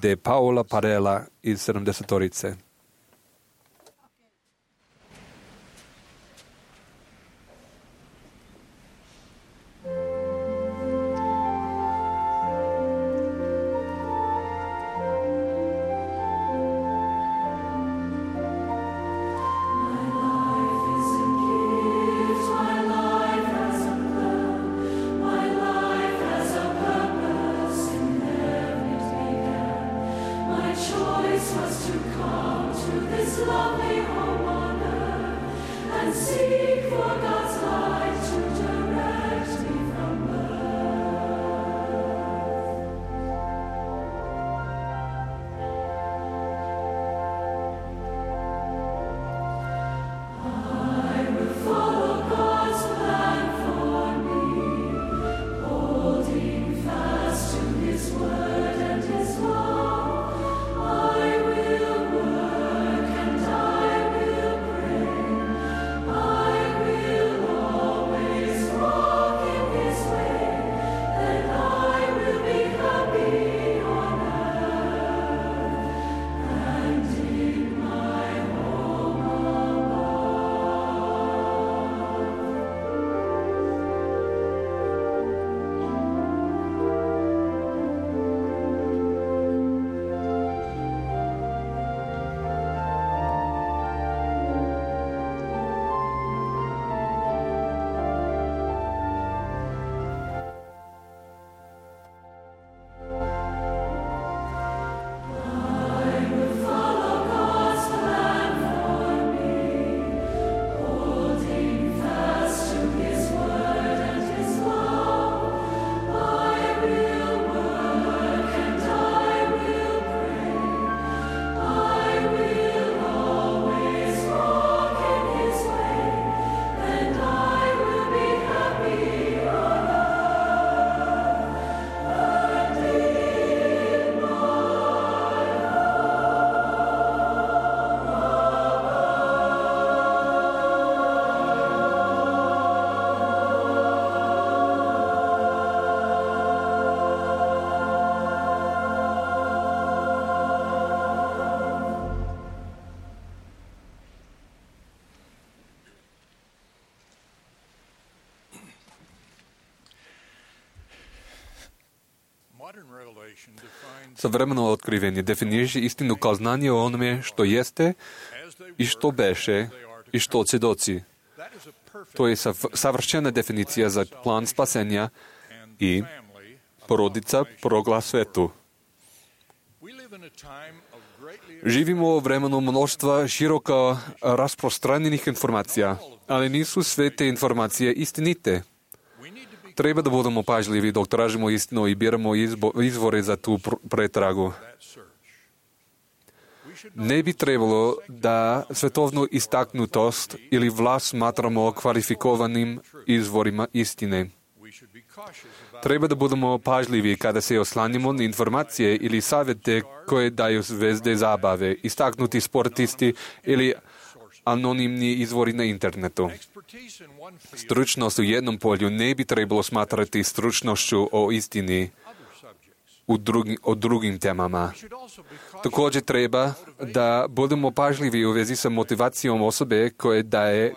de Paola Parela iz 70-torice. Savremeno otkrivenje definiše istinu kao znanje o onome što jeste i što beše i što će doći. To je savršena definicija za plan spasenja i porodica proglas svetu. Živimo u vremenu mnoštva široko rasprostranjenih informacija, ali nisu sve te informacije istinite. Treba da budemo pažljivi dok tražimo istinu i biramo izvore za tu pretragu. Ne bi trebalo da svetovnu istaknutost ili vlast smatramo kvalifikovanim izvorima istine. Treba da budemo pažljivi kada se oslanjamo na informacije ili savjete koje daju zvezde zabave, istaknuti sportisti ili anonimni izvori na internetu. Stručnost u jednom polju ne bi trebalo smatrati stručnošću o istini o drugim temama. Također treba da budemo pažljivi u vezi sa motivacijom osobe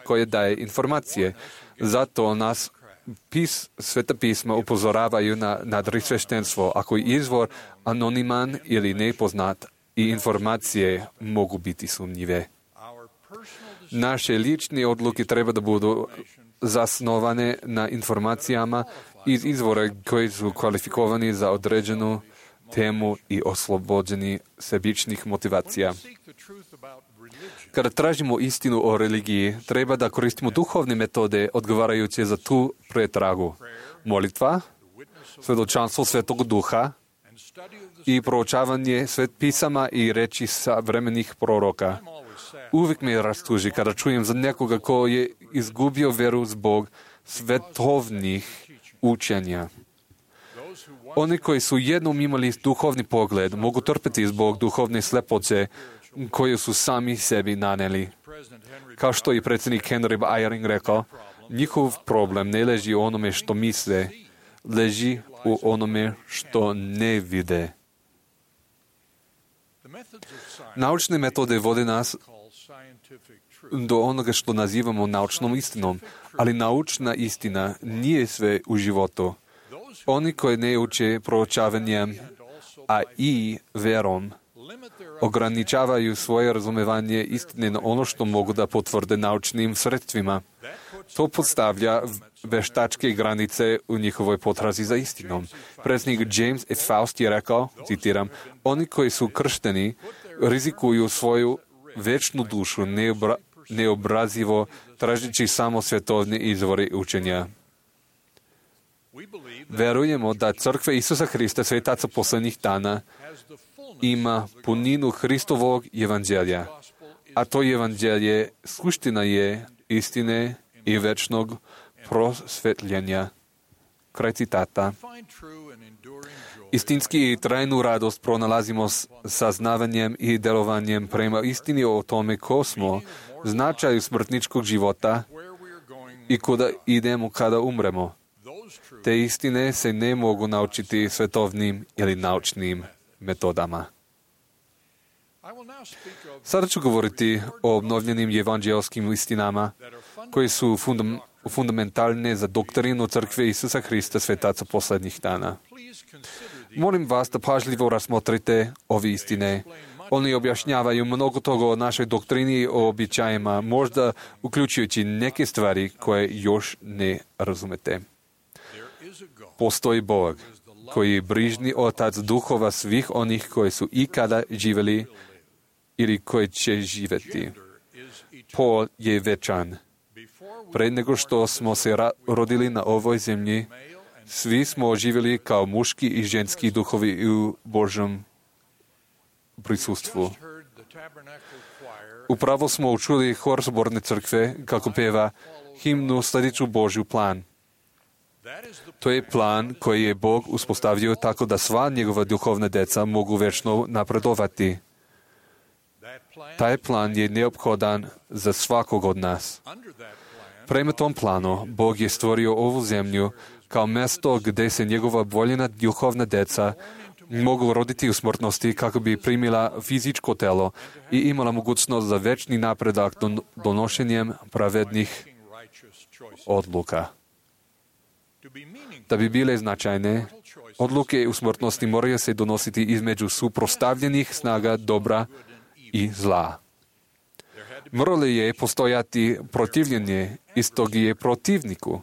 koje daje informacije. Zato nas Sveta pisma upozoravaju na nadrisveštenstvo. Ako je izvor anoniman ili nepoznat i informacije mogu biti sumnjive. Naše lične odluke treba da budu zasnovane na informacijama iz izvora koji su kvalifikovani za određenu temu i oslobođeni sebičnih motivacija. Kada tražimo istinu o religiji, treba da koristimo duhovne metode odgovarajuće za tu pretragu. Molitva, svedočanstvo Svetog Duha i proučavanje pisama i reči savremenih proroka. Uvijek me rastuži kada čujem za nekoga ko je izgubio veru zbog svetovnih učenja. Oni koji su jednom imali duhovni pogled mogu trpeti zbog duhovne slepoće koju su sami sebi naneli. Kao što je predsjednik Henry Eyring rekao, njihov problem ne leži u onome što misle, leži u onome što ne vide. Naučne metode vode nas do onoga što nazivamo naučnom istinom, ali naučna istina nije sve u životu. Oni koji ne uče proučavanjem, a i verom, ograničavaju svoje razumevanje istine na ono što mogu da potvrde naučnim sredstvima. To podstavlja veštačke granice u njihovoj potrazi za istinom. Predsjednik James F. Faust je rekao, citiram, oni koji su kršteni rizikuju svoju večnu dušu neobrazivo tražeći samo svjetovne izvore učenja. Verujemo da crkva Isusa Hrista, svetaca posljednjih dana, ima puninu Hristovog evanđelja, a to evanđelje suština je istine i večnog prosvetljenja. Kraj citata. Istinski i trajnu radost pronalazimo saznavanjem i delovanjem prema istini o tome ko smo, značaju smrtničkog života i kuda idemo kada umremo. Te istine se ne mogu naučiti svetovnim ili naučnim metodama. Sada ću govoriti o obnovljenim evanđelskim istinama koje su fundamentalne za doktrinu crkve Isusa Hrista, svetaca posljednjih dana. Molim vas da pažljivo razmotrite ove istine. Oni objašnjavaju mnogo toga o našoj doktrini i o običajima, možda uključujući neke stvari koje još ne razumete. Postoji Bog, koji je brižni otac duhova svih onih koji su ikada živjeli ili koji će živjeti. Pol je večan. Pre nego što smo se rodili na ovoj zemlji, svi smo živjeli kao muški i ženski duhovi u Božjem prisustvu. Upravo smo učuli hor zborne crkve kako peva himnu Sljedeću Božju plan. To je plan koji je Bog uspostavio tako da sva njegova duhovna deca mogu večno napredovati. Taj plan je neophodan za svakog od nas. Prema tom planu, Bog je stvorio ovu zemlju kao mjesto gdje se njegova voljena duhovna deca mogu roditi u smrtnosti kako bi primila fizičko telo i imala mogućnost za večni napredak donošenjem pravednih odluka. Da bi bile značajne, odluke u smrtnosti moraju se donositi između suprotstavljenih snaga dobra i zla. Moralo je postojati protivljenje istog je protivniku,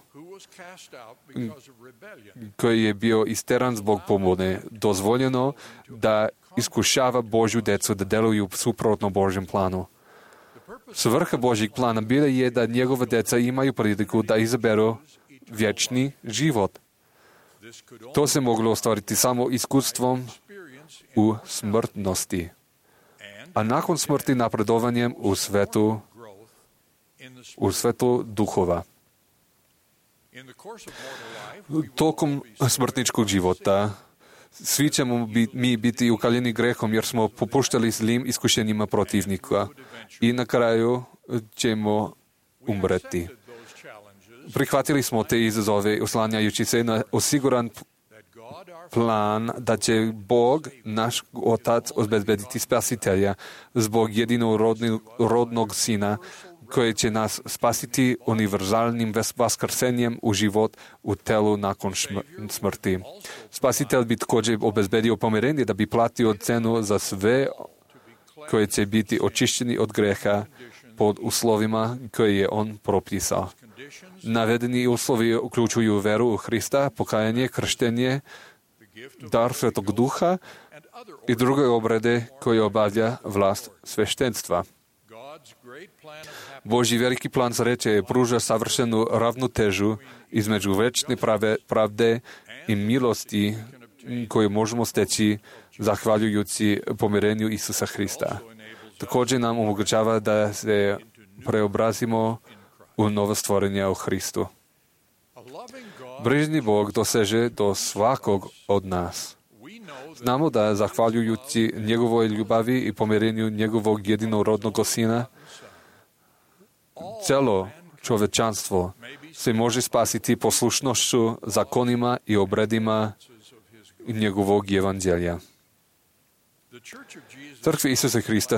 koji je bio isteran zbog pomone, dozvoljeno da iskušava Božju decu da deluju suprotno Božjem planu. Svrha Božjeg plana bila je da njegova deca imaju priliku da izaberu vječni život. To se moglo ostvariti samo iskustvom u smrtnosti, a nakon smrti napredovanjem u svetu duhova. Tokom smrtničkog života svi ćemo mi biti ukaljeni grehom jer smo popuštali zlim iskušenjima protivnika i na kraju ćemo umreti. Prihvatili smo te izazove oslanjajući se na osiguran plan da će Bog, naš Otac, obezbediti spasitelja zbog jedinorodnog Sina koji će nas spasiti univerzalnim vaskrsenjem u život u telu nakon smrti. Spasitelj bi također obezbedio pomirenje da bi platio cenu za sve koji će biti očišćeni od greha pod uslovima koje je on propisao. Navedení uslovi uključuju veru u Hrista, pokajanje, krštenje, dar Svetog Duha i druge obrede koje obavlja vlast sveštenstva. Božji veliki plan sreće pruža savršenu ravnotežu između večne pravde i milosti koju možemo steći zahvaljujući pomirenju Isusa Hrista. Također nam omogućava da se preobrazimo u novo stvorenje u Hristu. Brižni Bog doseže do svakog od nas. Znamo da zahvaljujući njegovoj ljubavi i pomirenju njegovog jedinorodnog Sina, celo čovečanstvo se može spasiti poslušnošću zakonima i obredima njegovog evanđelja. Crkva Isusa Hrista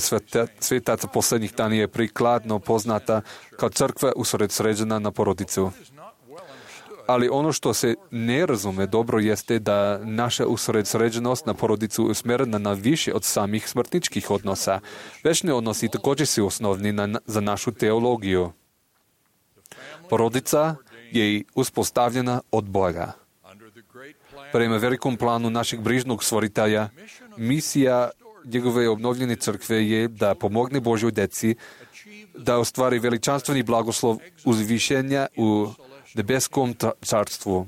svetaca posljednjih dana je prikladno poznata kao crkva usredsređena na porodicu. Ali ono što se ne razume dobro jeste da naša usredsređenost na porodicu usmjerena na više od samih smrtničkih odnosa. Večni odnosi također su osnovni za našu teologiju. Porodica je uspostavljena od Boga. Prema velikom planu našeg brižnog stvoritelja, misija njegove obnovljene crkve je da pomogne Božjoj deci da ostvari veličanstveni blagoslov uzvišenja u nebeskom carstvu,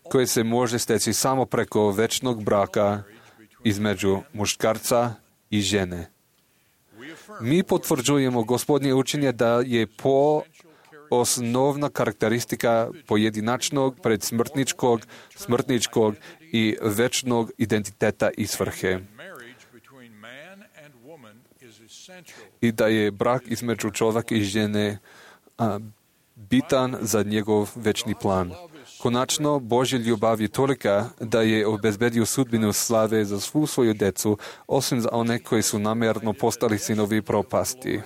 koje se može steći samo preko večnog braka između muškarca i žene. Mi potvrđujemo Gospodnje učenje da je osnovna karakteristika pojedinačnog, smrtničkog i večnog identiteta i svrhe. I da je brak između čovjeka i žene bitan za njegov večni plan. Konačno, Božja ljubav je tolika da je obezbedio sudbinu slave za svu svoju decu, osim za one koji su namjerno postali sinovi propasti.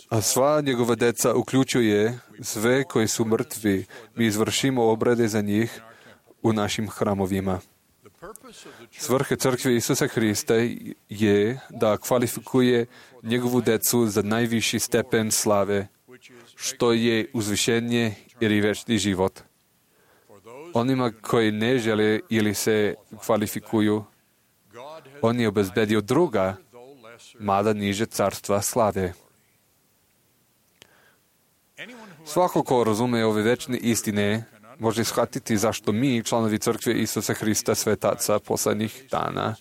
A sva njegova deca uključuje sve koji su mrtvi. Mi izvršimo obrede za njih u našim hramovima. Svrha crkve Isusa Hrista je da kvalifikuje njegovu decu za najviši stepen slave, što je uzvišenje ili večni život. Onima koji ne žele ili se kvalifikuju, on je obezbedio druga, mada niže carstva slave. Svako ko razume ove večne istine, može shvatiti zašto mi, članovi crkve Isusa Hrista svetaca posljednjih dana,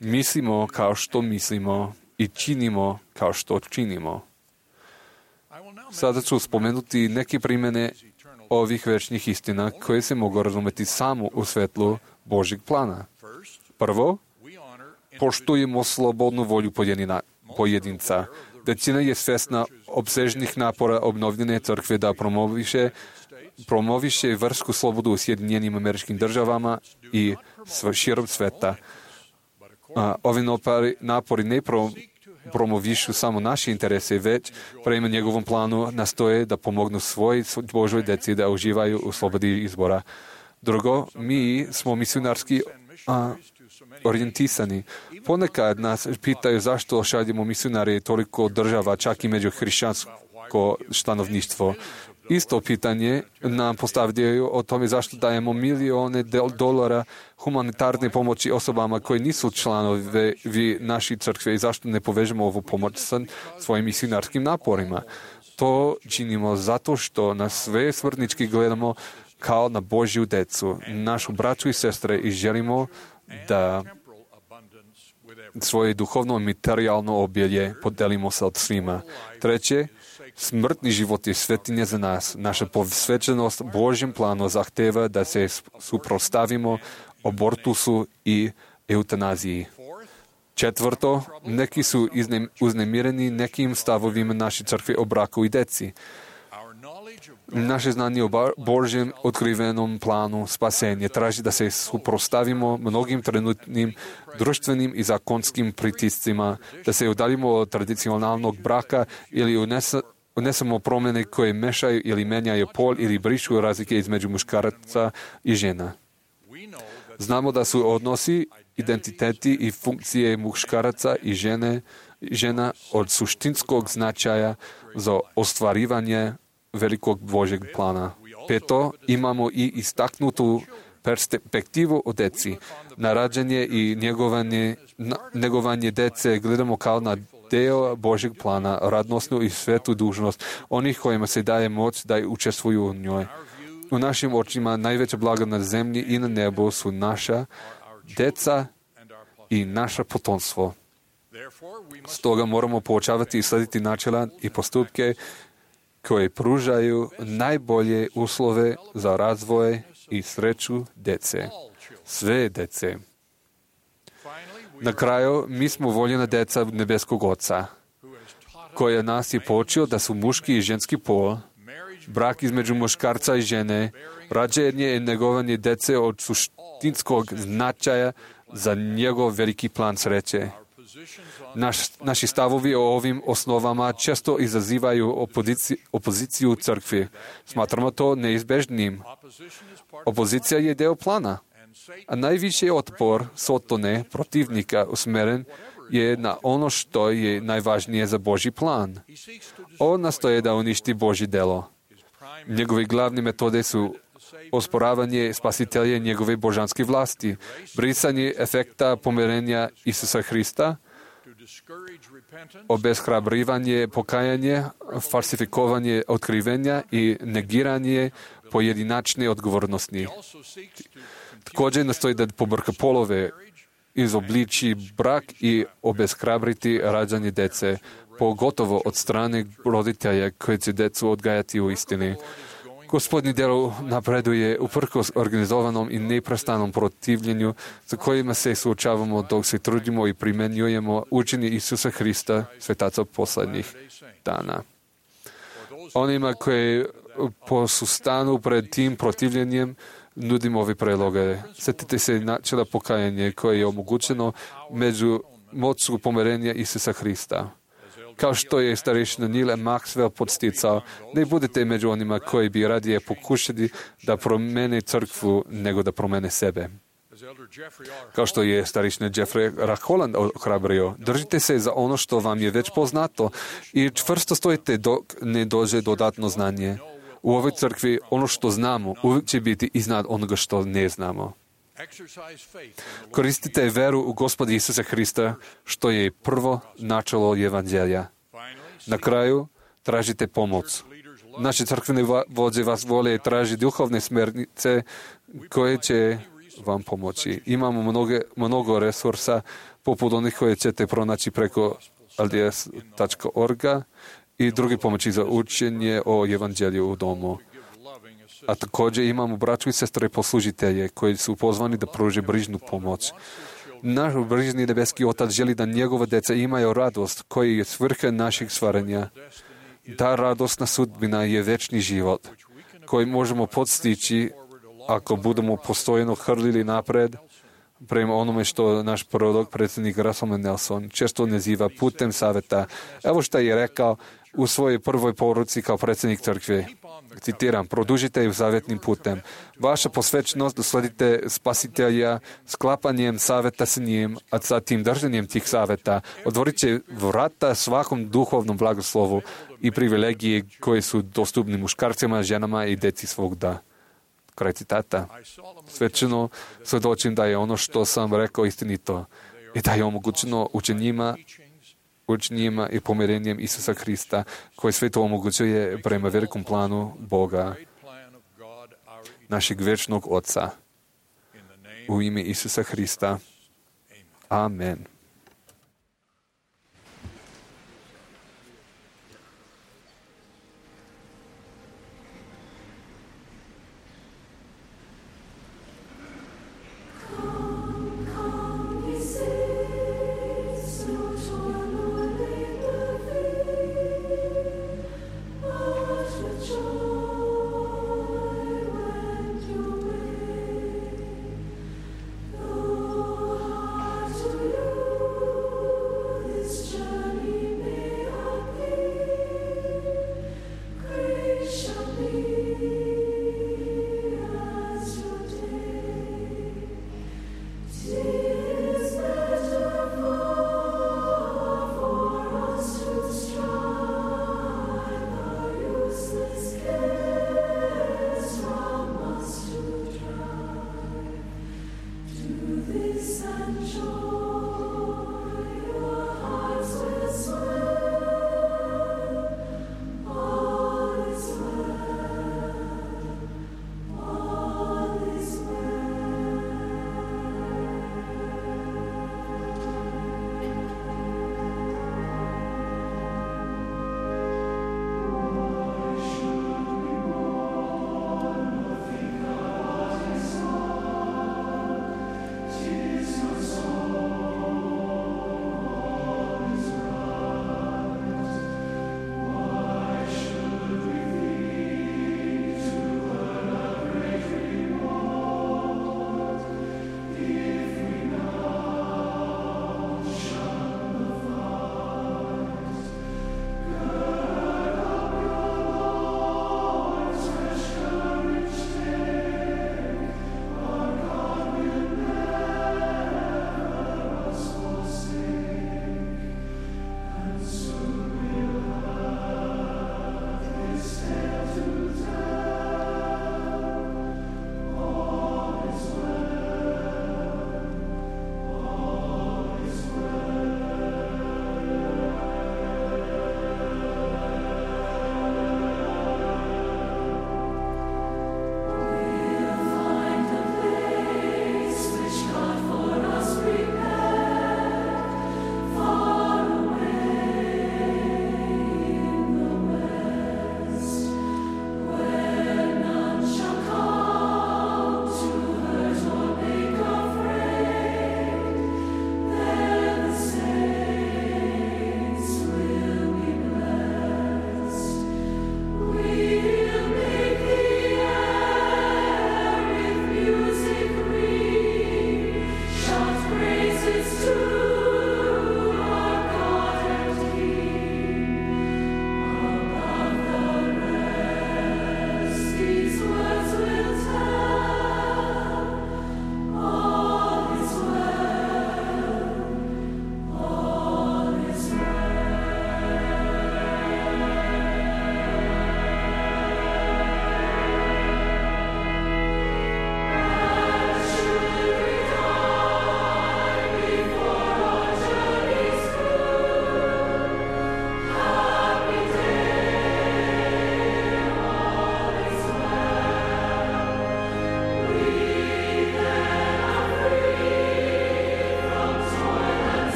mislimo kao što mislimo i činimo kao što činimo. Sada ću spomenuti neke primjene ovih večnih istina koje se mogu razumjeti samo u svetlu Božjeg plana. Prvo, poštujemo slobodnu volju pojedinca. Većina je svjesna opsežnih napora obnovljene crkve da promoviše vrsku slobodu u Sjedinjenim Američkim Državama i širom sveta. Ovi napori ne promovišu samo naše interese, već prema njegovom planu nastoje da pomognu svoj Božoj deci da uživaju u slobodi izbora. Drugo, mi smo misionarski orijentisani. Ponekad nas pitaju zašto šaljemo misionare toliko država, čak i među hrišćansko stanovništvo. Isto pitanje nam postavljaju o tome zašto dajemo milione dolara humanitarne pomoći osobama koji nisu članovi naše crkve i zašto ne povežemo ovu pomoć sa svojim misionarskim naporima. To činimo zato što na sve smrtnički gledamo kao na Božju decu, našu braću i sestre i želimo da svoje duhovno i materijalno obilje podelimo sa svima. Treće, smrtni život je svetinja za nas. Naša posvećenost Božjem planu zahteva da se suprotstavimo abortusu i eutanaziji. Četvrto, neki su uznemireni nekim stavovima naše crkve o braku i deci. Naše znanje o Božjem otkrivenom planu spasenja traži da se suprotstavimo mnogim trenutnim društvenim i zakonskim pritiscima, da se udaljimo od tradicionalnog braka ili unesemo promjene koje mešaju ili menjaju pol ili brišu razlike između muškaraca i žena. Znamo da su odnosi, identiteti i funkcije muškaraca i žene žena od suštinskog značaja za ostvarivanje velikog Božeg plana. Peto, imamo i istaknutu perspektivu o deci. Na rađanje i njegovanje dece gledamo kao na deo Božeg plana, radnosnu i svetu dužnost onih kojima se daje moć da učestvuju u njoj. U našim očima najveća blaga na zemlji i na nebu su naša deca i naše potomstvo. Stoga moramo poučavati i slediti načela i postupke koje pružaju najbolje uslove za razvoj i sreću dece. Sve dece. Na kraju, mi smo voljena deca nebeskog Oca, koja nas je poučio da su muški i ženski pol, brak između muškarca i žene, rađanje i negovanje dece od suštinskog značaja za njegov veliki plan sreće. Naši stavovi o ovim osnovama često izazivaju opoziciju crkvi. Smatramo to neizbežnim. Opozicija je deo plana, a najviši otpor Sotone, protivnika, usmeren je na ono što je najvažnije za Božji plan. On nastoje da uništi Božje delo. Njegove glavne metode su osporavanje spasitelja njegove božanske vlasti, brisanje efekta pomirenja Isusa Hrista, obeshrabrivanje pokajanje, falsifikovanje otkrivenja i negiranje pojedinačne odgovornosti. Također nastoji da pobrka polove, izobliči brak i obeshrabriti rađanje dece, pogotovo od strane roditelja koji će decu odgajati u istini. Gospodnji delo napreduje uprkos organizovanom i neprestanom protivljenju za kojima se suočavamo dok se trudimo i primenjujemo učenje Isusa Hrista, svetaca poslednjih dana. Onima koji posustanu pred tim protivljenjem nudimo ove predloge. Sjetite se načela pokajanje koje je omogućeno među moću pomirenja Isusa Hrista. Kao što je starešina Neil Maxwell podsticao, ne budete među onima koji bi radije pokušali da promene crkvu nego da promene sebe. Kao što je starešina Jeffrey R. Holland ohrabrio, držite se za ono što vam je već poznato i čvrsto stojite dok ne dođe dodatno znanje. U ovoj crkvi ono što znamo uvijek će biti iznad onoga što ne znamo. Koristite veru u Gospoda Isusa Hrista, što je prvo načelo evanđelja. Na kraju, tražite pomoć. Naše crkvene vođe vas vole i traži duhovne smernice koje će vam pomoći. Imamo mnogo resursa, poput onih koje ćete pronaći preko lds.org i druge pomoći za učenje o evanđelju u domu. A također imamo braću i sestre poslužitelje koji su pozvani da pruže brižnu pomoć. Naš brižni nebeski Otac želi da njegova deca imaju radost koji je svrha našeg stvaranja. Ta radosna sudbina je večni život koji možemo postići ako budemo postojeno hrlili napred prema onome što naš prorok, predsjednik Russell Nelson, često naziva putem saveta. Evo što je rekao u svojoj prvoj poruci kao predsjednik crkve. Citiram, produžite ju savjetnim putem. Vaša posvećenost da sledite spasitelja sklapanjem saveta s njim, a zatim držanjem tih saveta otvorit će vrata svakom duhovnom blagoslovu i privilegiji koji su dostupni muškarcima, ženama i deci svog da. Kraj citata. Svećeno svedočim da je ono što sam rekao istinito i da je omogućeno učenjima i pomirenjem Isusa Hrista, koji sve to omogućuje prema velikom planu Boga, našeg večnog Oca. U ime Isusa Hrista. Amen. You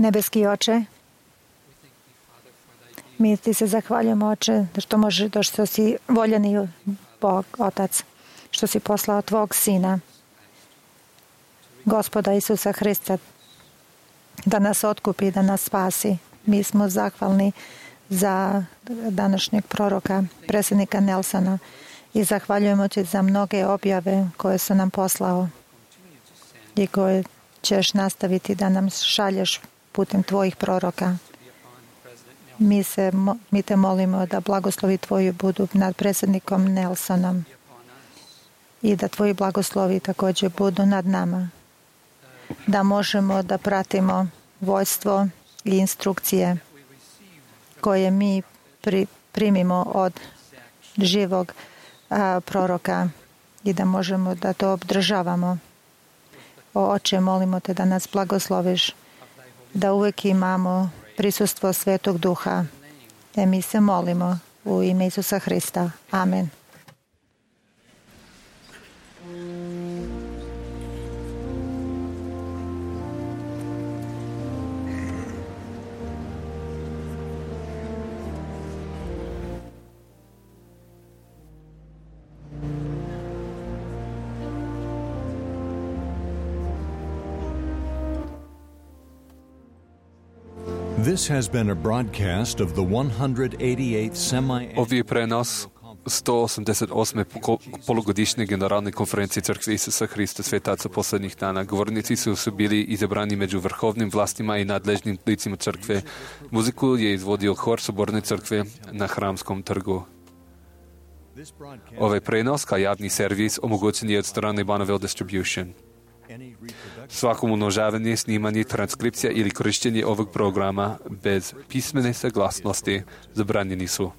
Nebeski Oče, mi ti se zahvaljujemo, Oče, što si voljeni Bog, Otac, što si poslao tvog Sina, Gospoda Isusa Hrista, da nas otkupi, da nas spasi. Mi smo zahvalni za današnjeg proroka, predsjednika Nelsona, i zahvaljujemo ti za mnoge objave koje su nam poslao i koje ćeš nastaviti da nam šalješ putem tvojih proroka. Mi te molimo da blagoslovi tvoji budu nad predsjednikom Nelsonom i da tvoji blagoslovi također budu nad nama, da možemo da pratimo vojstvo i instrukcije koje mi primimo od živog proroka i da možemo da to obdržavamo. O Oče, molimo te da nas blagosloviš, da uvijek imamo prisustvo Svetog Duha. Mi se molimo u ime Isusa Hrista. Amen. This has been a broadcast of the 188th semi-annual. Ovo je prenos 188. polugodišnje generalne konferencije Crkve Isusa Hrista svetaca poslednjih dana. Govornici su bili izabrani među vrhovnim vlastima i nadležnim licima crkve. Muziku je izvodio hor Soborne crkve na Hramskom trgu. Ovaj prenos kao javni servis omogućen je od strane Bonneville Distribution. Svakom umnožavanje, snimanje, transkripcija ili korištenje ovog programa bez pismene saglasnosti zabranjeni su.